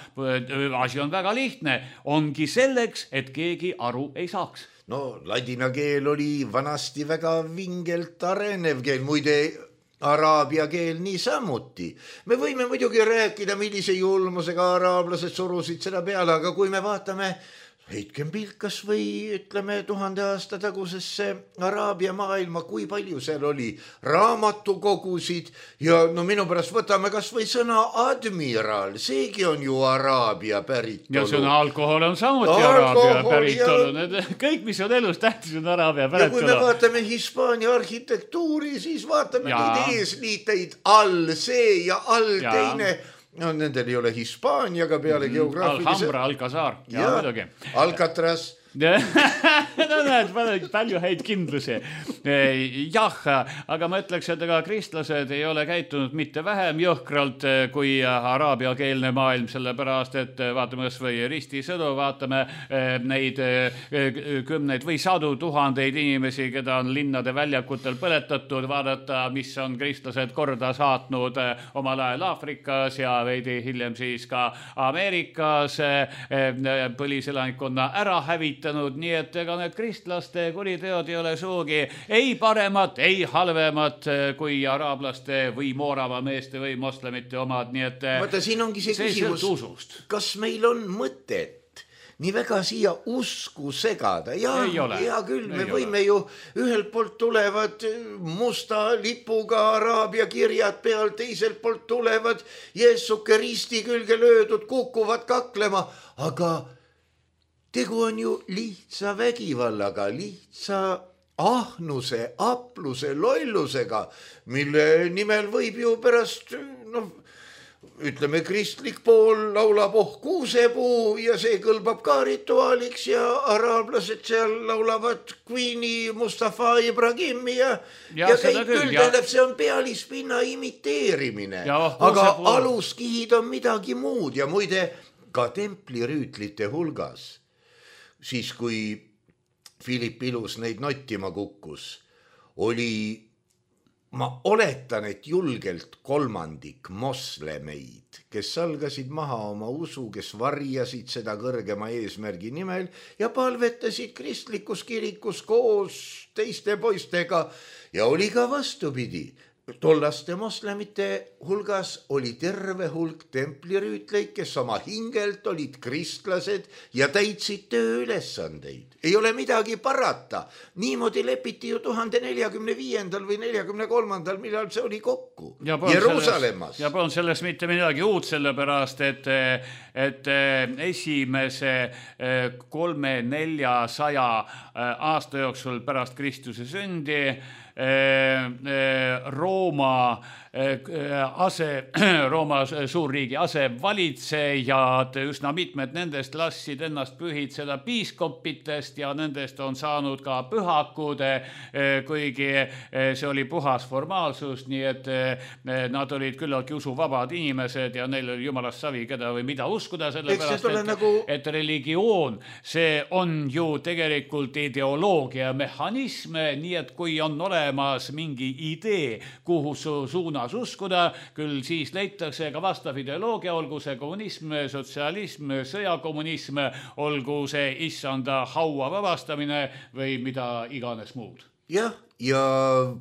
Asi on väga lihtne, ongi selleks, et keegi aru ei saaks. No ladina keel oli vanasti väga vingelt arenev keel, muide araabia keel niisamuti. Me võime muidugi rääkida, millise julmusega araablased surusid seda peale, aga kui me vaatame, heitkem pilk kas või ütleme tuhande aasta tagusesse araabia maailma, kui palju seal oli raamatukogusid ja no minu pärast võtame kas või sõna admiral, seegi on ju araabia päritolu. Ja sõna alkohol on samuti araabia päritolu. Ja... kõik, mis on elus tähtis, on araabia päritolu. Ja kui me vaatame Hispaania arhitektuuri, siis vaatame ja. Neid eesliiteid all see ja all ja. Teine... No, nendel ei ole Hispaaniaga peale geograafilise... Alhambra, Alcazar. Ja, ja Alcatraz. no näed, palju häid kindlusi. Jah, aga ma ütleks, et ega kristlased ei ole käitunud mitte vähem jõhkralt kui araabiakeelne maailm, sellepärast, et vaatame kas või ristisõdu, vaatame neid kümneid või sadu tuhandeid inimesi, keda on linnade väljakutel põletatud, vaadata, mis on kristlased korda saatnud omal ajal Aafrikas ja veidi hiljem siis ka Ameerikas põliselanikkonna ära hävitanud. Nii et ega need kristlaste kuriteod ei ole suugi ei paremat, ei halvemat kui araablaste või moorava meeste või moslemite omad. Nii et Vaata, siin ongi see, see küsimus, kas meil on mõtet nii väga siia usku segada. Ja, ja küll, me ei võime ole. Ju ühelt poolt tulevad musta lipuga araabia kirjad peal, teiselt poolt tulevad Jeesuke risti külge löödud, kukuvad kaklema, aga tegu on ju lihtsa vägivallaga, lihtsa ahnuse, apluse, lollusega, mille nimel võib ju pärast, noh, ütleme, kristlik pool laulab oh kuusepuu ja see kõlbab ka rituaaliks ja araablased seal laulavad Queeni, Mustafa Ibrahimi ja, ja, ja kõik küll, tähendab, see on pealispinna imiteerimine. Ja, aga aluskihid on midagi muud ja muide ka templirüütlite hulgas, siis kui Philip Ilus neid nottima kukkus, oli, ma oletan, et julgelt kolmandik moslemeid, kes salgasid maha oma usu, kes varjasid seda kõrgema eesmärgi nimel ja palvetasid kristlikus kirikus koos teiste poistega ja oli ka vastupidi. Tollaste moslemite hulgas oli terve hulk templirüütleid, kes oma hingelt olid kristlased ja täitsid tööülesandeid. Ei ole midagi parata. Niimoodi lepiti ju tuhande neljakümne viiendal või neljakümne kolmandal, millal see oli kokku. Ja Jeruusalemmas. Ja polnud selles mitte midagi uut, sellepärast, et, et esimese kolme neljasaja aasta jooksul pärast Kristuse sündi Rooma ase, Rooma suurriigi asevalitsejad, üsna mitmed nendest lassid ennast pühitseda piiskopitest ja nendest on saanud ka pühakud, kuigi see oli puhas formaalsus, nii et nad olid küllaltki usuvabad inimesed ja neil oli jumalast savi, keda või mida uskuda, sellepärast, et, nagu... et religioon, see on ju tegelikult ideoloogia mehhanism, nii et kui on olemas mingi idee, kuhu su suunas uskuda, küll siis leitakse ka vastav ideoloogia, olgu see kommunism, sotsialism, sõjakommunism, olgu see issanda haua vabastamine või mida iganes muud. Jah, ja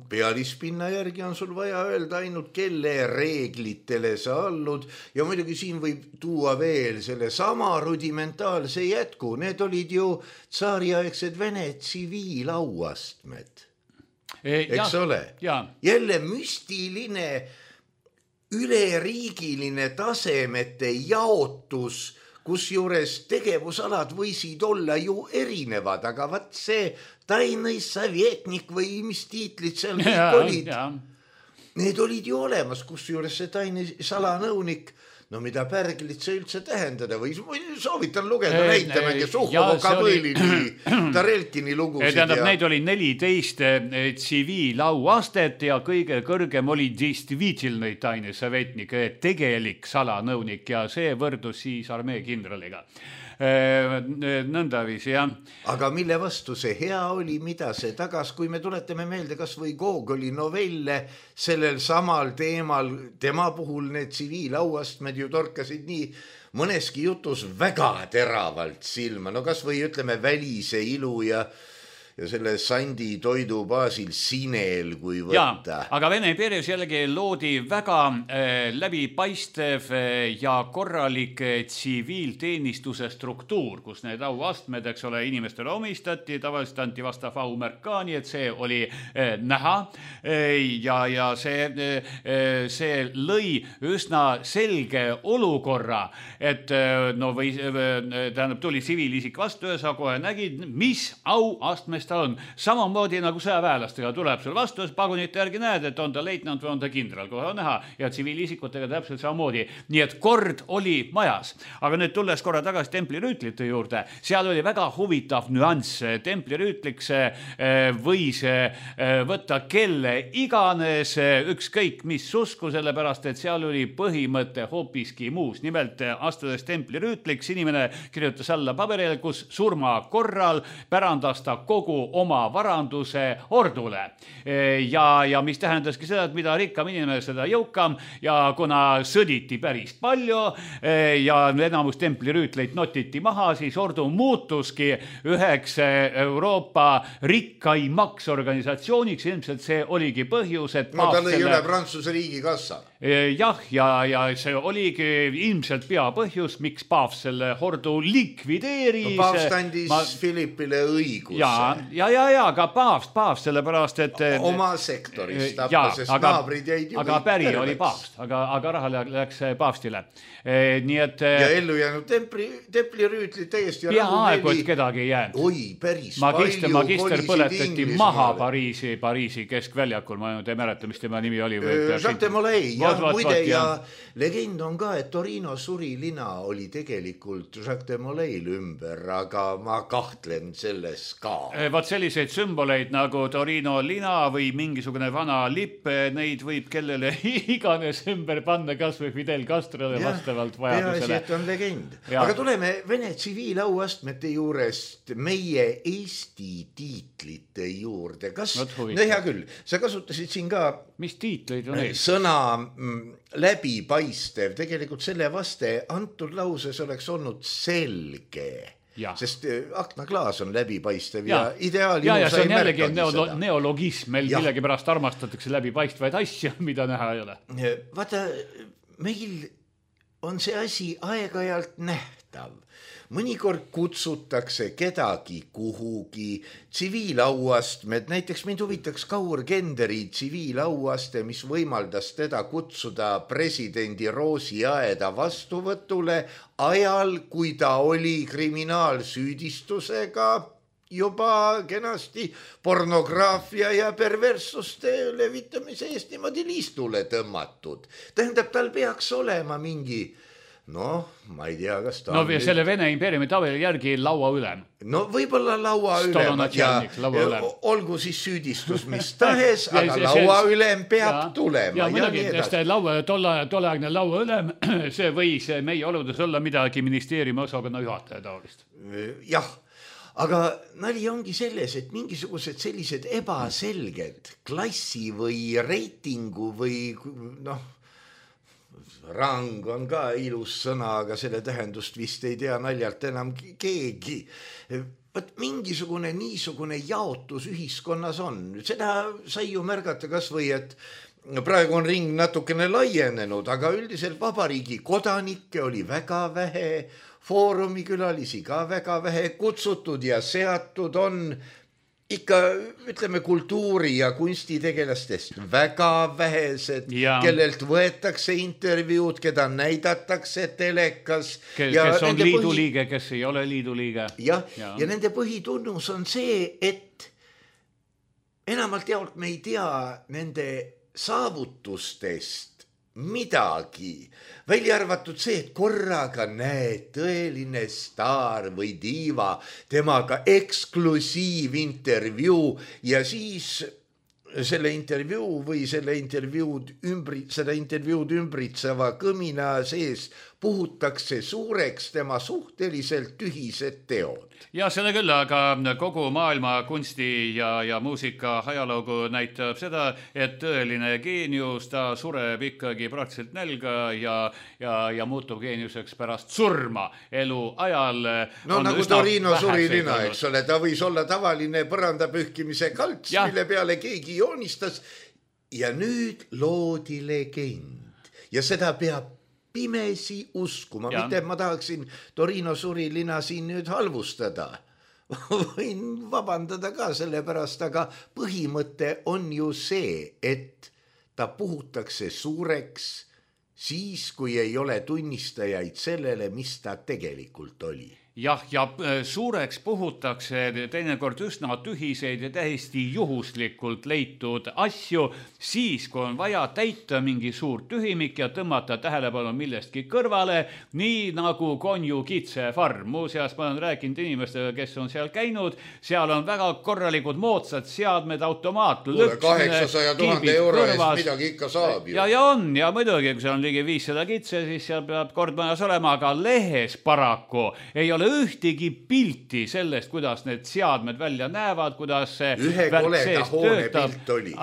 pealispinna järgi on sul vaja öelda ainult, kelle reeglitele sa allud ja muidugi siin võib tuua veel selle sama rudimentaalse jätku. Need olid ju tsaariaegsed Vene tsiviilauastmed. Eks ja, ole? Ja. Jälle müstiline, üleriigiline tasemete jaotus, kus juures tegevusalad võisid olla ju erinevad, aga vaat see tainai savetnik või mis tiitlid seal kõik ja, olid, ja. Need olid ju olemas, kus juures see tainai salanõunik, no mida pärglit see üldse tähendada või soovitan lugeda e, näitamegi Suhhovoka Põlini, Tarelkini lugusid. Tähendab, ja... neid oli neliteist tsiviilauastet ja kõige kõrgem oli действительный тайный советник, tegelik salanõunik ja see võrdus siis armee kindraliga. Nõndavis, jah. Aga mille vastu see hea oli, mida see tagas, kui me tuletame meelde kas või Gogoli novelle sellel samal teemal, tema puhul need tsiviilauastmed ju torkasid nii mõneski jutus väga teravalt silma, no kas või ütleme välise ilu ja ja selle sandi toidu baasil sinel, kui võtta. Ja, aga Vene impeeriumis jällegi loodi väga äh, läbipaistev äh, ja korralik äh, tsiviilteenistuse struktuur, kus need auastmed, eks ole, inimestele omistati, tavaliselt anti vastav aumärk ka, nii et see oli äh, näha äh, ja, ja see, äh, see lõi üsna selge olukorra, et äh, no või äh, tähendab, tuli tsiviilisik vastu ja sa kohe nägid, mis auastmes ta on. Samamoodi nagu sõjaväelastega tuleb sul vastu, pagunite järgi näed, et on ta leitnant või on ta kindral, kohe on näha ja tsiviilisikutega täpselt samamoodi. Nii et kord oli majas. Aga nüüd tulles korra tagasi templirüütlite juurde, seal oli väga huvitav nüanss. Templirüütliks võis võtta kelle iganes, ükskõik mis usku, sellepärast, et seal oli põhimõte hoopiski muus. Nimelt astudes templirüütliks inimene kirjutas alla paberile, kus surma korral pärandas ta kogu oma varanduse ordule. Ja, ja mis tähendaski seda, et mida rikkam inimene, seda jõukam ja kuna sõditi päris palju ja enamus templirüütleid notiti maha, siis ordu muutuski üheks Euroopa rikkaimaks organisatsiooniks. Ilmselt see oligi põhjus, et no ta lõi selle... üle Prantsuse riigi kassa. Jah, ja, ja see oligi ilmselt peapõhjus, miks paavs selle ordu likvideeris. No, paavs tandis Ma... Philippile õiguse. Ja, ja, ja, ja ka paavst, paavst, sellepärast, et oma sektoris tappa, sest aga, naabrid jäid ju aga päri terveks. Oli paavst, aga, aga raha läks paavstile. Nii et ja ellu jäänud templi, templirüütlid täiesti peaaegu, et kedagi ei jäänud. Oi, päris magister, palju magister põletati Inglismaale. Maha Pariisi, Pariisi keskväljakul, ma ei mäleta, mis tema nimi oli. Jacques de Molay, ja muide ja legend on ka, et Torino surilina oli tegelikult Jacques de Molay'l ümber, aga ma kahtlen selles ka. Vaat selliseid sümboleid nagu Torino lina või mingisugune vana lipp, neid võib kellele iganes ümber panna, kas või Fidel Castrole vastavalt vajadusele. Peaasi, et on legend. Ja. Aga tuleme Vene tsiviilauastmete juurest meie Eesti tiitlite juurde. Kas, no hea küll, sa kasutasid siin ka mis tiitleid on ees? Sõna läbipaistev, tegelikult selle vaste antud lauses oleks olnud selge. Ja. Sest aknaklaas on läbipaistev ja, ja ideaal ja, ja see on jällegi neolo, neologism, meil ja. Millegi pärast armastatakse läbipaistvaid asju, mida näha ei ole. Vaata, meil on see asi aeg-ajalt nähtav. Mõnikord kutsutakse kedagi kuhugi, tsiviilauastmed, näiteks mind huvitaks Kaur Kenderi tsiviilauaste, mis võimaldas teda kutsuda presidendi Roosiaeda vastuvõtule ajal, kui ta oli kriminaalsüüdistusega juba kenasti pornograafia ja perverssuste levitamise eest niimoodi liistule tõmmatud. Tähendab, tal peaks olema mingi noh, ma ei tea, kas ta no, on selle nüüd... Vene impeeriumi tabeli järgi laua ülem. No võib-olla laua ülem ja, laua ülem. Olgu siis süüdistus mis tahes, ja, aga see, laua see, ülem peab ja, tulema. Ja, ja muidugi, laua, tolle, tolleaegne laua ülem, see võis meie oludes olla midagi ministeeriumi osakonna juhataja taolist. Jah, aga nali ongi selles, et mingisugused sellised ebaselged klassi või reitingu või noh, rang on ka ilus sõna, aga selle tähendust vist ei tea naljalt enam keegi. Võt mingisugune niisugune jaotus ühiskonnas on. Seda sai ju märgata kas või, et praegu on ring natukene laienenud, aga üldiselt vabariigi kodanikke oli väga vähe, foorumikülalisi ka väga vähe kutsutud ja seatud on ikka, ütleme, kultuuri- ja kunstitegelastest väga vähesed, ja. Kellelt võetakse intervjuud, keda näidatakse telekas. Kes, kes on liidu põhi... liige, kes ei ole liidu liige. Ja, ja. ja nende põhitunnus on see, et enamalt jaolt me ei tea nende saavutustest midagi, välja arvatud see, et korraga näed tõeline staar või diiva, temaga eksklusiivintervjuu ja siis selle intervjuu või selle intervjuud ümbri, seda intervjuud ümbritseva kõmina sees puhutakse suureks tema suhteliselt tühised teod. Ja seda küll, aga kogu maailma kunsti ja, ja muusika ajaloogu näitab seda, et tõeline geenius, ta sureb ikkagi praktiliselt nälga ja, ja, ja muutub geeniuseks pärast surma elu ajal. No nagu Torino surilina, eks ole, ta võis olla tavaline põrandapühkimise kalts, ja. Mille peale keegi joonistas ja nüüd loodi legend ja seda peab pimesi uskuma, ja. Mitte ma tahaksin Torino surilina siin nüüd halvustada. Võin vabandada ka selle pärast, aga põhimõte on ju see, et ta puhutakse suureks siis, kui ei ole tunnistajaid sellele, mis ta tegelikult oli. Jah, ja suureks puhutakse teinekord üsna tühiseid ja täiesti juhuslikult leitud asju, siis kui on vaja täita mingi suur tühimik ja tõmmata tähelepanu millestki kõrvale, nii nagu Konju kitsefarm. Muuseas, ma olen rääkinud inimestega, kes on seal käinud, seal on väga korralikud moodsad seadmed, automaat, lõks, kaheksasaja tuhande euro eest midagi ikka saab ju. Ja, ja on, ja muidugi, kui seal on ligi viissada kitse, siis seal peab kord majas olema, aga lehes paraku ei ole ühtegi pilti sellest, kuidas need seadmed välja näevad, kuidas see ühe koleda hoone pilt oli.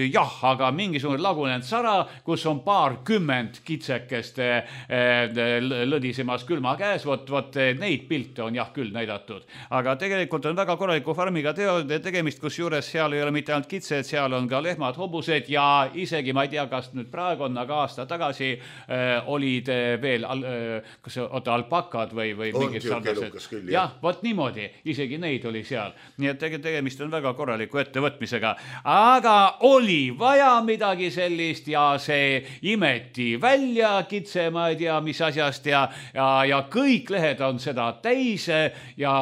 Jah, aga mingisugune lagunenud sara, kus on paar kümmend kitsekest lõdisemas külma käes, vot, vot neid pilte on jah küll näidatud. Aga tegelikult on väga korraliku farmiga teod tegemist, kus juures seal ei ole mitte ainult kitsed, seal on ka lehmad, hobused ja isegi, ma ei tea, kas nüüd praegu on, aga aasta tagasi äh, olid veel, äh, kas oota, alpakad või, või mingi mingid sarnased. jah, vot niimoodi, isegi neid oli seal. Nii et tegemist on väga korraliku ettevõtmisega. Aga oli vaja midagi sellist ja see imeti välja kitse, ma ei tea, mis asjast ja, ja, ja kõik lehed on seda täis ja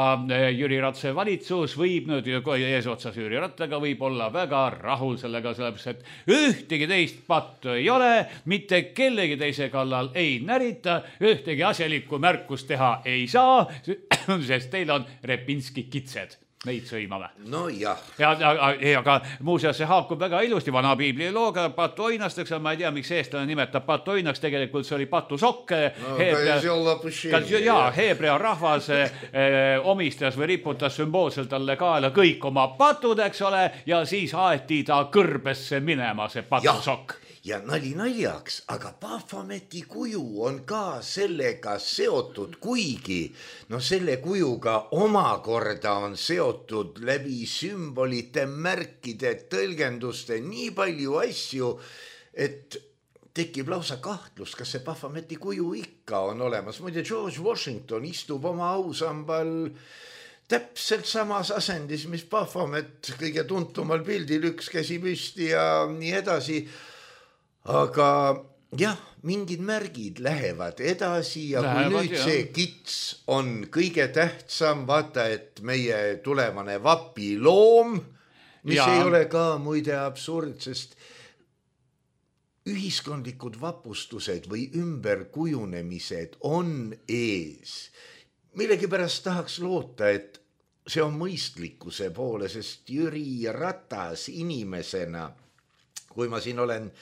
Jüri Ratase valitsus võib nüüd eesotsas Jüri Rattaga võib olla väga rahul sellega, sellepärast, et ühtegi teist pattu ei ole, mitte kellegi teise kallal ei närita, ühtegi asjalikku märkust teha ei saa, sest teil on Repinski kitsed. Neid sõimame. No jah. Ja, ja, ja aga muuseas see haakub väga ilusti vana piibli looga patuoinasteks, ma ei tea, miks eestlane nimetab patuoinaks, tegelikult see oli patusokk. No, Heebrea, ja, Heebrea rahvas eh, omistas või riputas sümboolselt talle kaela kõik oma patud, eks ole, ja siis aeti ta kõrbesse minema see patusokk. Ja nali naljaks, aga Pahvameti kuju on ka sellega seotud, kuigi no selle kujuga omakorda on seotud läbi sümbolite, märkide, tõlgenduste nii palju asju, et tekib lausa kahtlus, kas see Pahvameti kuju ikka on olemas. Muide, George Washington istub oma ausambal täpselt samas asendis, mis Pahvamet kõige tuntumal pildil, üks käsi püsti ja nii edasi. Aga jah, mingid märgid lähevad edasi ja lähevad, kui nüüd jah. See kits on kõige tähtsam, vaata, et meie tulevane vapiloom, mis ja. Ei ole ka muide absurd, sest ühiskondlikud vapustused või ümberkujunemised on ees. Millegipärast tahaks loota, et see on mõistlikkuse poole, sest Jüri Ratas inimesena, kui ma siin olen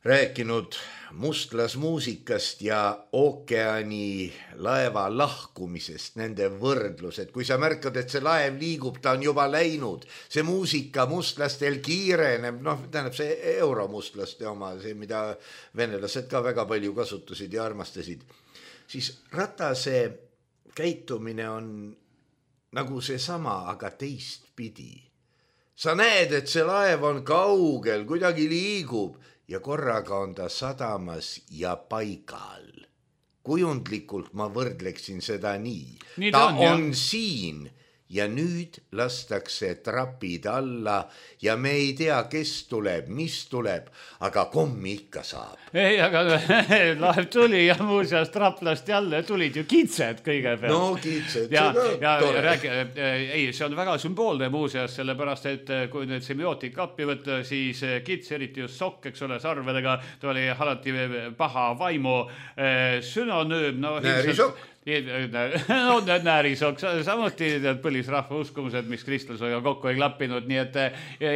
rääkinud mustlasmuusikast ja ookeani laeva lahkumisest, nende võrdlused. Kui sa märkad, et see laev liigub, ta on juba läinud. See muusika mustlastel kiireneb, noh, tähendab see euromustlaste oma, see, mida venelased ka väga palju kasutasid ja armastasid. Siis Ratase käitumine on nagu see sama, aga teistpidi. Sa näed, et see laev on kaugel, kuidagi liigub. Ja korraga on ta sadamas ja paigal. Kujundlikult ma võrdleksin seda nii. nii ta on, on siin ja nüüd lastakse trapid alla ja me ei tea, kes tuleb, mis tuleb, aga kommi ikka saab. Ei, aga laev tuli ja muuseas traplast jälle tulid ju kitsed kõigepealt. No kitsed, ja, ja, ja räägi, ei, see on väga sümboolne muuseas, sellepärast, et kui nüüd semiootik appi võtta, siis kits, eriti just sokk, eks ole, sarvedega, ta oli alati paha vaimu sünonüüm. No, Näärisokk. No näärisokk, samuti põlisrahva uskumused, mis kristlusega kokku ei klappinud, nii et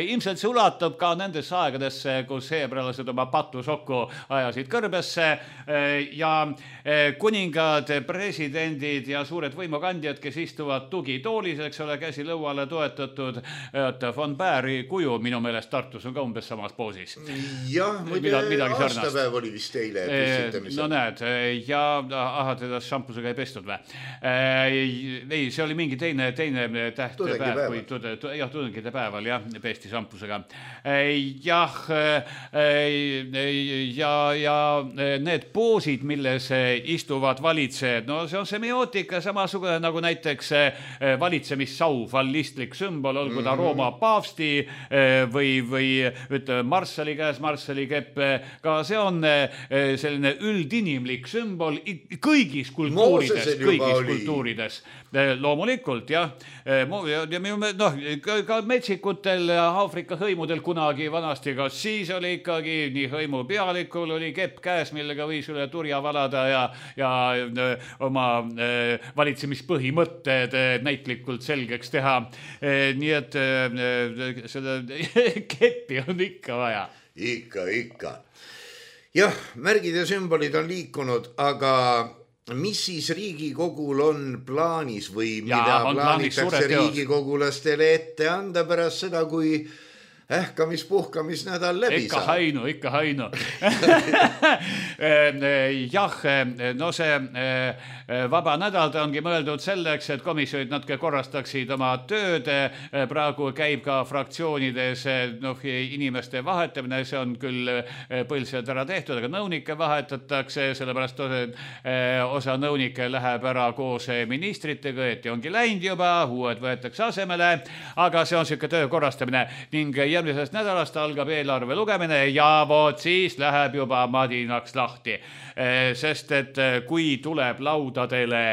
ilmselt see ulatub ka nendesse aegadesse, kus heebrealased oma patusokku ajasid kõrbesse ja kuningad, presidendid ja suured võimukandjad, kes istuvad tugitoolis, eks ole, käsi lõuale toetatud, et von Bääri kuju minu meelest Tartus on ka umbes samas poosis. Jah, muide aastapäev oli vist eile püstitamisel. No näed, ja aha, teda šampusega ei pestud või? Ei, see oli mingi teine, teine tähtpäev, kui tude, jah, tudengide päeval, jah, pesti šampusega. Jah, ja, ja need poosid, milles istuvad valitsejad, no see on semiootika samasugune nagu näiteks valitsemissau, fallistlik sümbol, olgu ta Rooma paavsti või, või ütleme marssali käes, marssali kepp, ka see on selline üldinimlik sümbol kõigis kultuurides. Kõigis kultuurides. Loomulikult, jah. Ja noh, ka metsikutel Aafrika hõimudel kunagi vanasti, kas siis oli ikkagi nii hõimu pealikul oli kepp käes, millega võis üle turja valada ja, ja oma valitsemispõhimõtted näitlikult selgeks teha. Nii et seda keppi on ikka vaja. Ikka, ikka. Jah, märgid ja sümbolid on liikunud, aga mis siis Riigikogul on plaanis või mida ja, plaanitakse Riigikogulastele ette anda pärast seda, kui ähkamis-puhkamisnädal läbi ikka saab. hainu, ikka hainu. Jah, no see vaba nädal ta ongi mõeldud selleks, et komisjonid natuke korrastaksid oma tööd. Praegu käib ka fraktsioonides noh, inimeste vahetamine, see on küll põlselt ära tehtud, aga nõunikke vahetatakse, sellepärast osa nõunikke läheb ära koos ministritega, et ongi läinud juba, uued võetakse asemele, aga see on siuke töö korrastamine ning järgmisest nädalast algab eelarve lugemine ja voot siis läheb juba madinaks lahti, sest et kui tuleb laudadele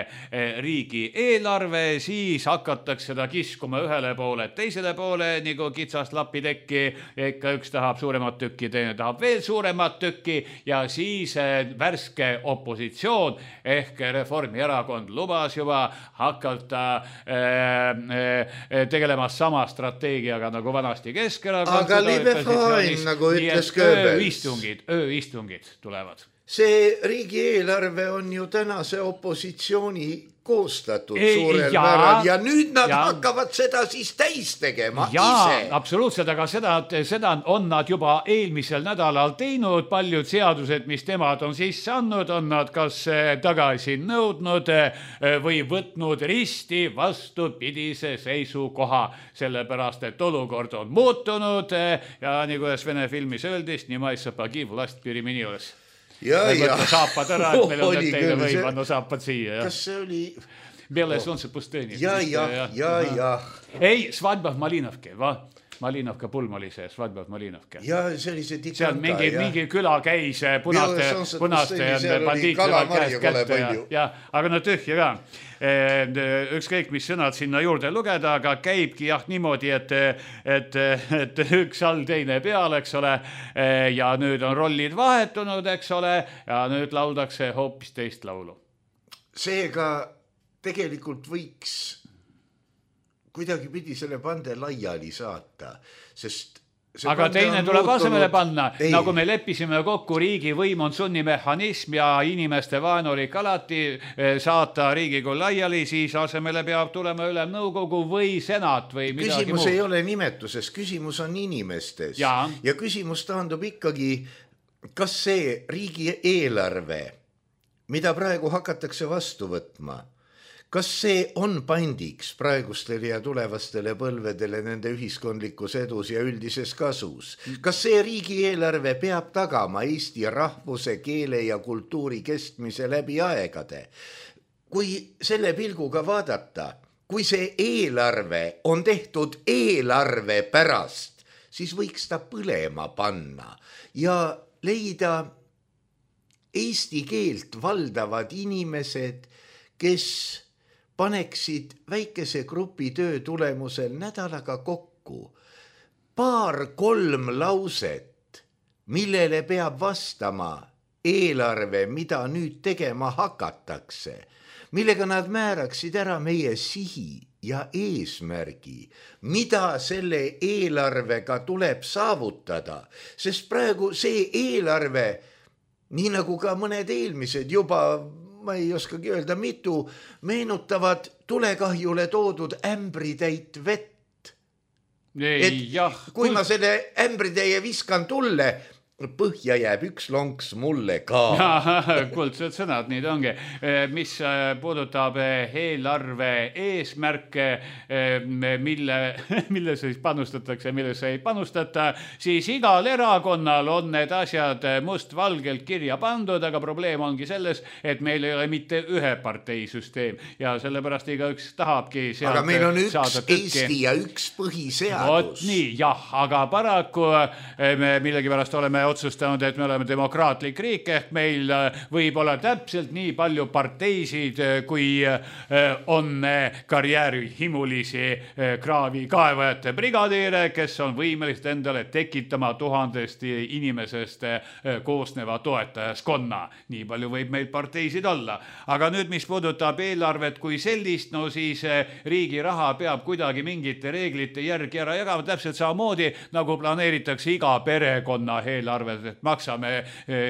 riigi eelarve, siis hakatakse seda kiskuma ühele poole, teisele poole nagu kitsast lapitekki, ikka üks tahab suuremat tükki, teine tahab veel suuremat tükki ja siis värske opositsioon ehk Reformierakond lubas juba hakata tegelema sama strateegiaga nagu vanasti Keskerakond. Aga libe fine, nagu ütles Goebbels. Ööistungid, ööistungid tulevad. See riigieelarve on ju tänase opositsiooni koostatud ei, suurel ja, määral ja nüüd nad ja, hakkavad seda siis täis tegema ja, ise. Absoluutselt, aga seda, seda on nad juba eelmisel nädalal teinud, paljud seadused, mis temad on sisse andnud, on nad kas tagasi nõudnud või võtnud risti vastupidise seisukoha, sellepärast, et olukord on muutunud ja nii kuidas Vene filmis öeldist, nii mais sapagi vlast piriminioles. Ja, ja. Saapad ära, et meil on need teile võima, no saapad siia. Kas see oli... Bele solnce pustõni. Ja, ja, ja, ja. Ei, svadba v Malinovke, va? Malinovka pulm oli see, svadba v Malinovke. Ja, see oli see dikanka. See on mingi, mingi küla käis punaste, punaste bandiitide käest kätte. Ja, ja, aga no tühja ka. Ükskõik, mis sõnad sinna juurde lugeda, aga käibki jah niimoodi, et, et, et üks all teine peal, eks ole, ja nüüd on rollid vahetunud, eks ole, ja nüüd lauldakse hoopis teist laulu. Seega tegelikult võiks kuidagi pidi selle pande laiali saata, sest aga teine tuleb asemele panna, ei. Nagu me leppisime kokku, riigi võim on sunnimehhanism ja inimeste vaenulik alati saata Riigikogu laiali, siis asemele peab tulema ülemnõukogu või senat või midagi muud. Küsimus ei ole nimetuses, küsimus on inimestes ja, ja küsimus taandub ikkagi, kas see riigi eelarve, mida praegu hakatakse vastu võtma, kas see on pandiks praegustele ja tulevastele põlvedele nende ühiskondlikus edus ja üldises kasus? Kas see riigieelarve peab tagama Eesti rahvuse, keele ja kultuuri kestmise läbi aegade? Kui selle pilguga vaadata, kui see eelarve on tehtud eelarve pärast, siis võiks ta põlema panna ja leida eesti keelt valdavad inimesed, kes paneksid väikese grupi töö tulemusel nädalaga kokku paar-kolm lauset, millele peab vastama eelarve, mida nüüd tegema hakatakse, millega nad määraksid ära meie sihi ja eesmärgi, mida selle eelarvega tuleb saavutada, sest praegu see eelarve, nii nagu ka mõned eelmised juba ma ei oskagi öelda, mitu meenutavad tulekahjule toodud ämbritäit vett. Ei, et jah, kui kuld... ma selle ämbritäie viskan tulle, põhja jääb üks lonks mulle ka. Kuldsed sõnad, nii ta ongi. Mis puudutab eelarve eesmärke, mille, mille siis panustatakse, mille ei panustata, siis igal erakonnal on need asjad must-valgelt kirja pandud, aga probleem ongi selles, et meil ei ole mitte ühe parteisüsteem ja sellepärast iga üks tahabki sealt aga meil on üks Eesti ja üks põhiseadus. Vot nii, jah, aga paraku me millegipärast oleme otsustanud, et me oleme demokraatlik riik, ehk meil võib olla täpselt nii palju parteisid, kui on karjääri himulisi kraavi kaevajate brigadiire, kes on võimelised endale tekitama tuhandest inimesest koosneva toetajaskonna. Nii palju võib meil parteisid olla. Aga nüüd, mis puudutab eelarvet kui sellist, no siis riigi raha peab kuidagi mingite reeglite järgi ära jagama, täpselt samamoodi, nagu planeeritakse iga perekonna eelarve arved, et maksame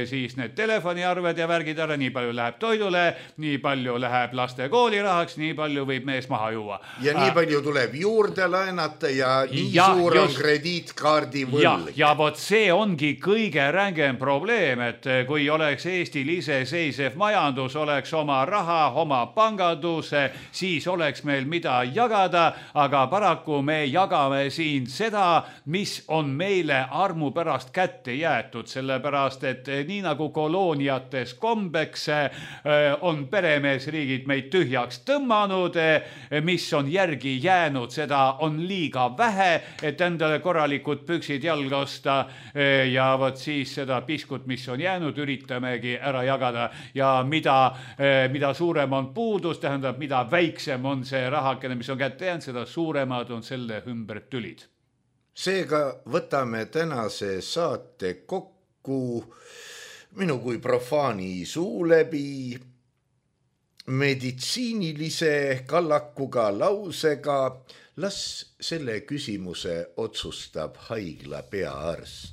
siis need telefoniarved ja värgid ära, nii palju läheb toidule, nii palju läheb laste koolirahaks, nii palju võib mees maha juua. Ja nii palju tuleb juurde laenata ja nii ja, suur just, on krediitkaardi võlg. Ja, ja vot see ongi kõige rängem probleem, et kui oleks Eestil iseseisev majandus, oleks oma raha, oma panganduse, siis oleks meil mida jagada, aga paraku me jagame siin seda, mis on meile armu pärast kätte jäetud, sellepärast, et nii nagu kolooniates kombeks on peremeesriigid meid tühjaks tõmmanud, mis on järgi jäänud, seda on liiga vähe, et endale korralikud püksid jalga osta ja vot siis seda piskut, mis on jäänud, üritamegi ära jagada ja mida, mida suurem on puudus, tähendab, mida väiksem on see rahakene, mis on kätte jäänud, seda suuremad on selle ümber tülid. Seega võtame tänase saate kokku minu kui profaani suu läbi meditsiinilise kallakuga lausega, las selle küsimuse otsustab haigla peaarst.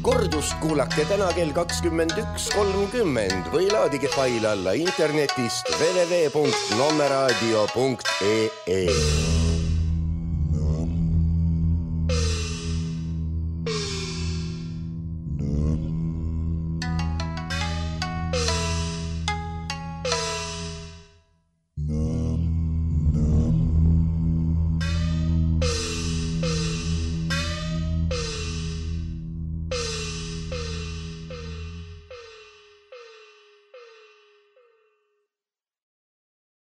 Kordust kuulake täna kell kakskümmend üks kolmkümmend või laadige fail alla internetist w w w punkt nommeraadio punkt e e.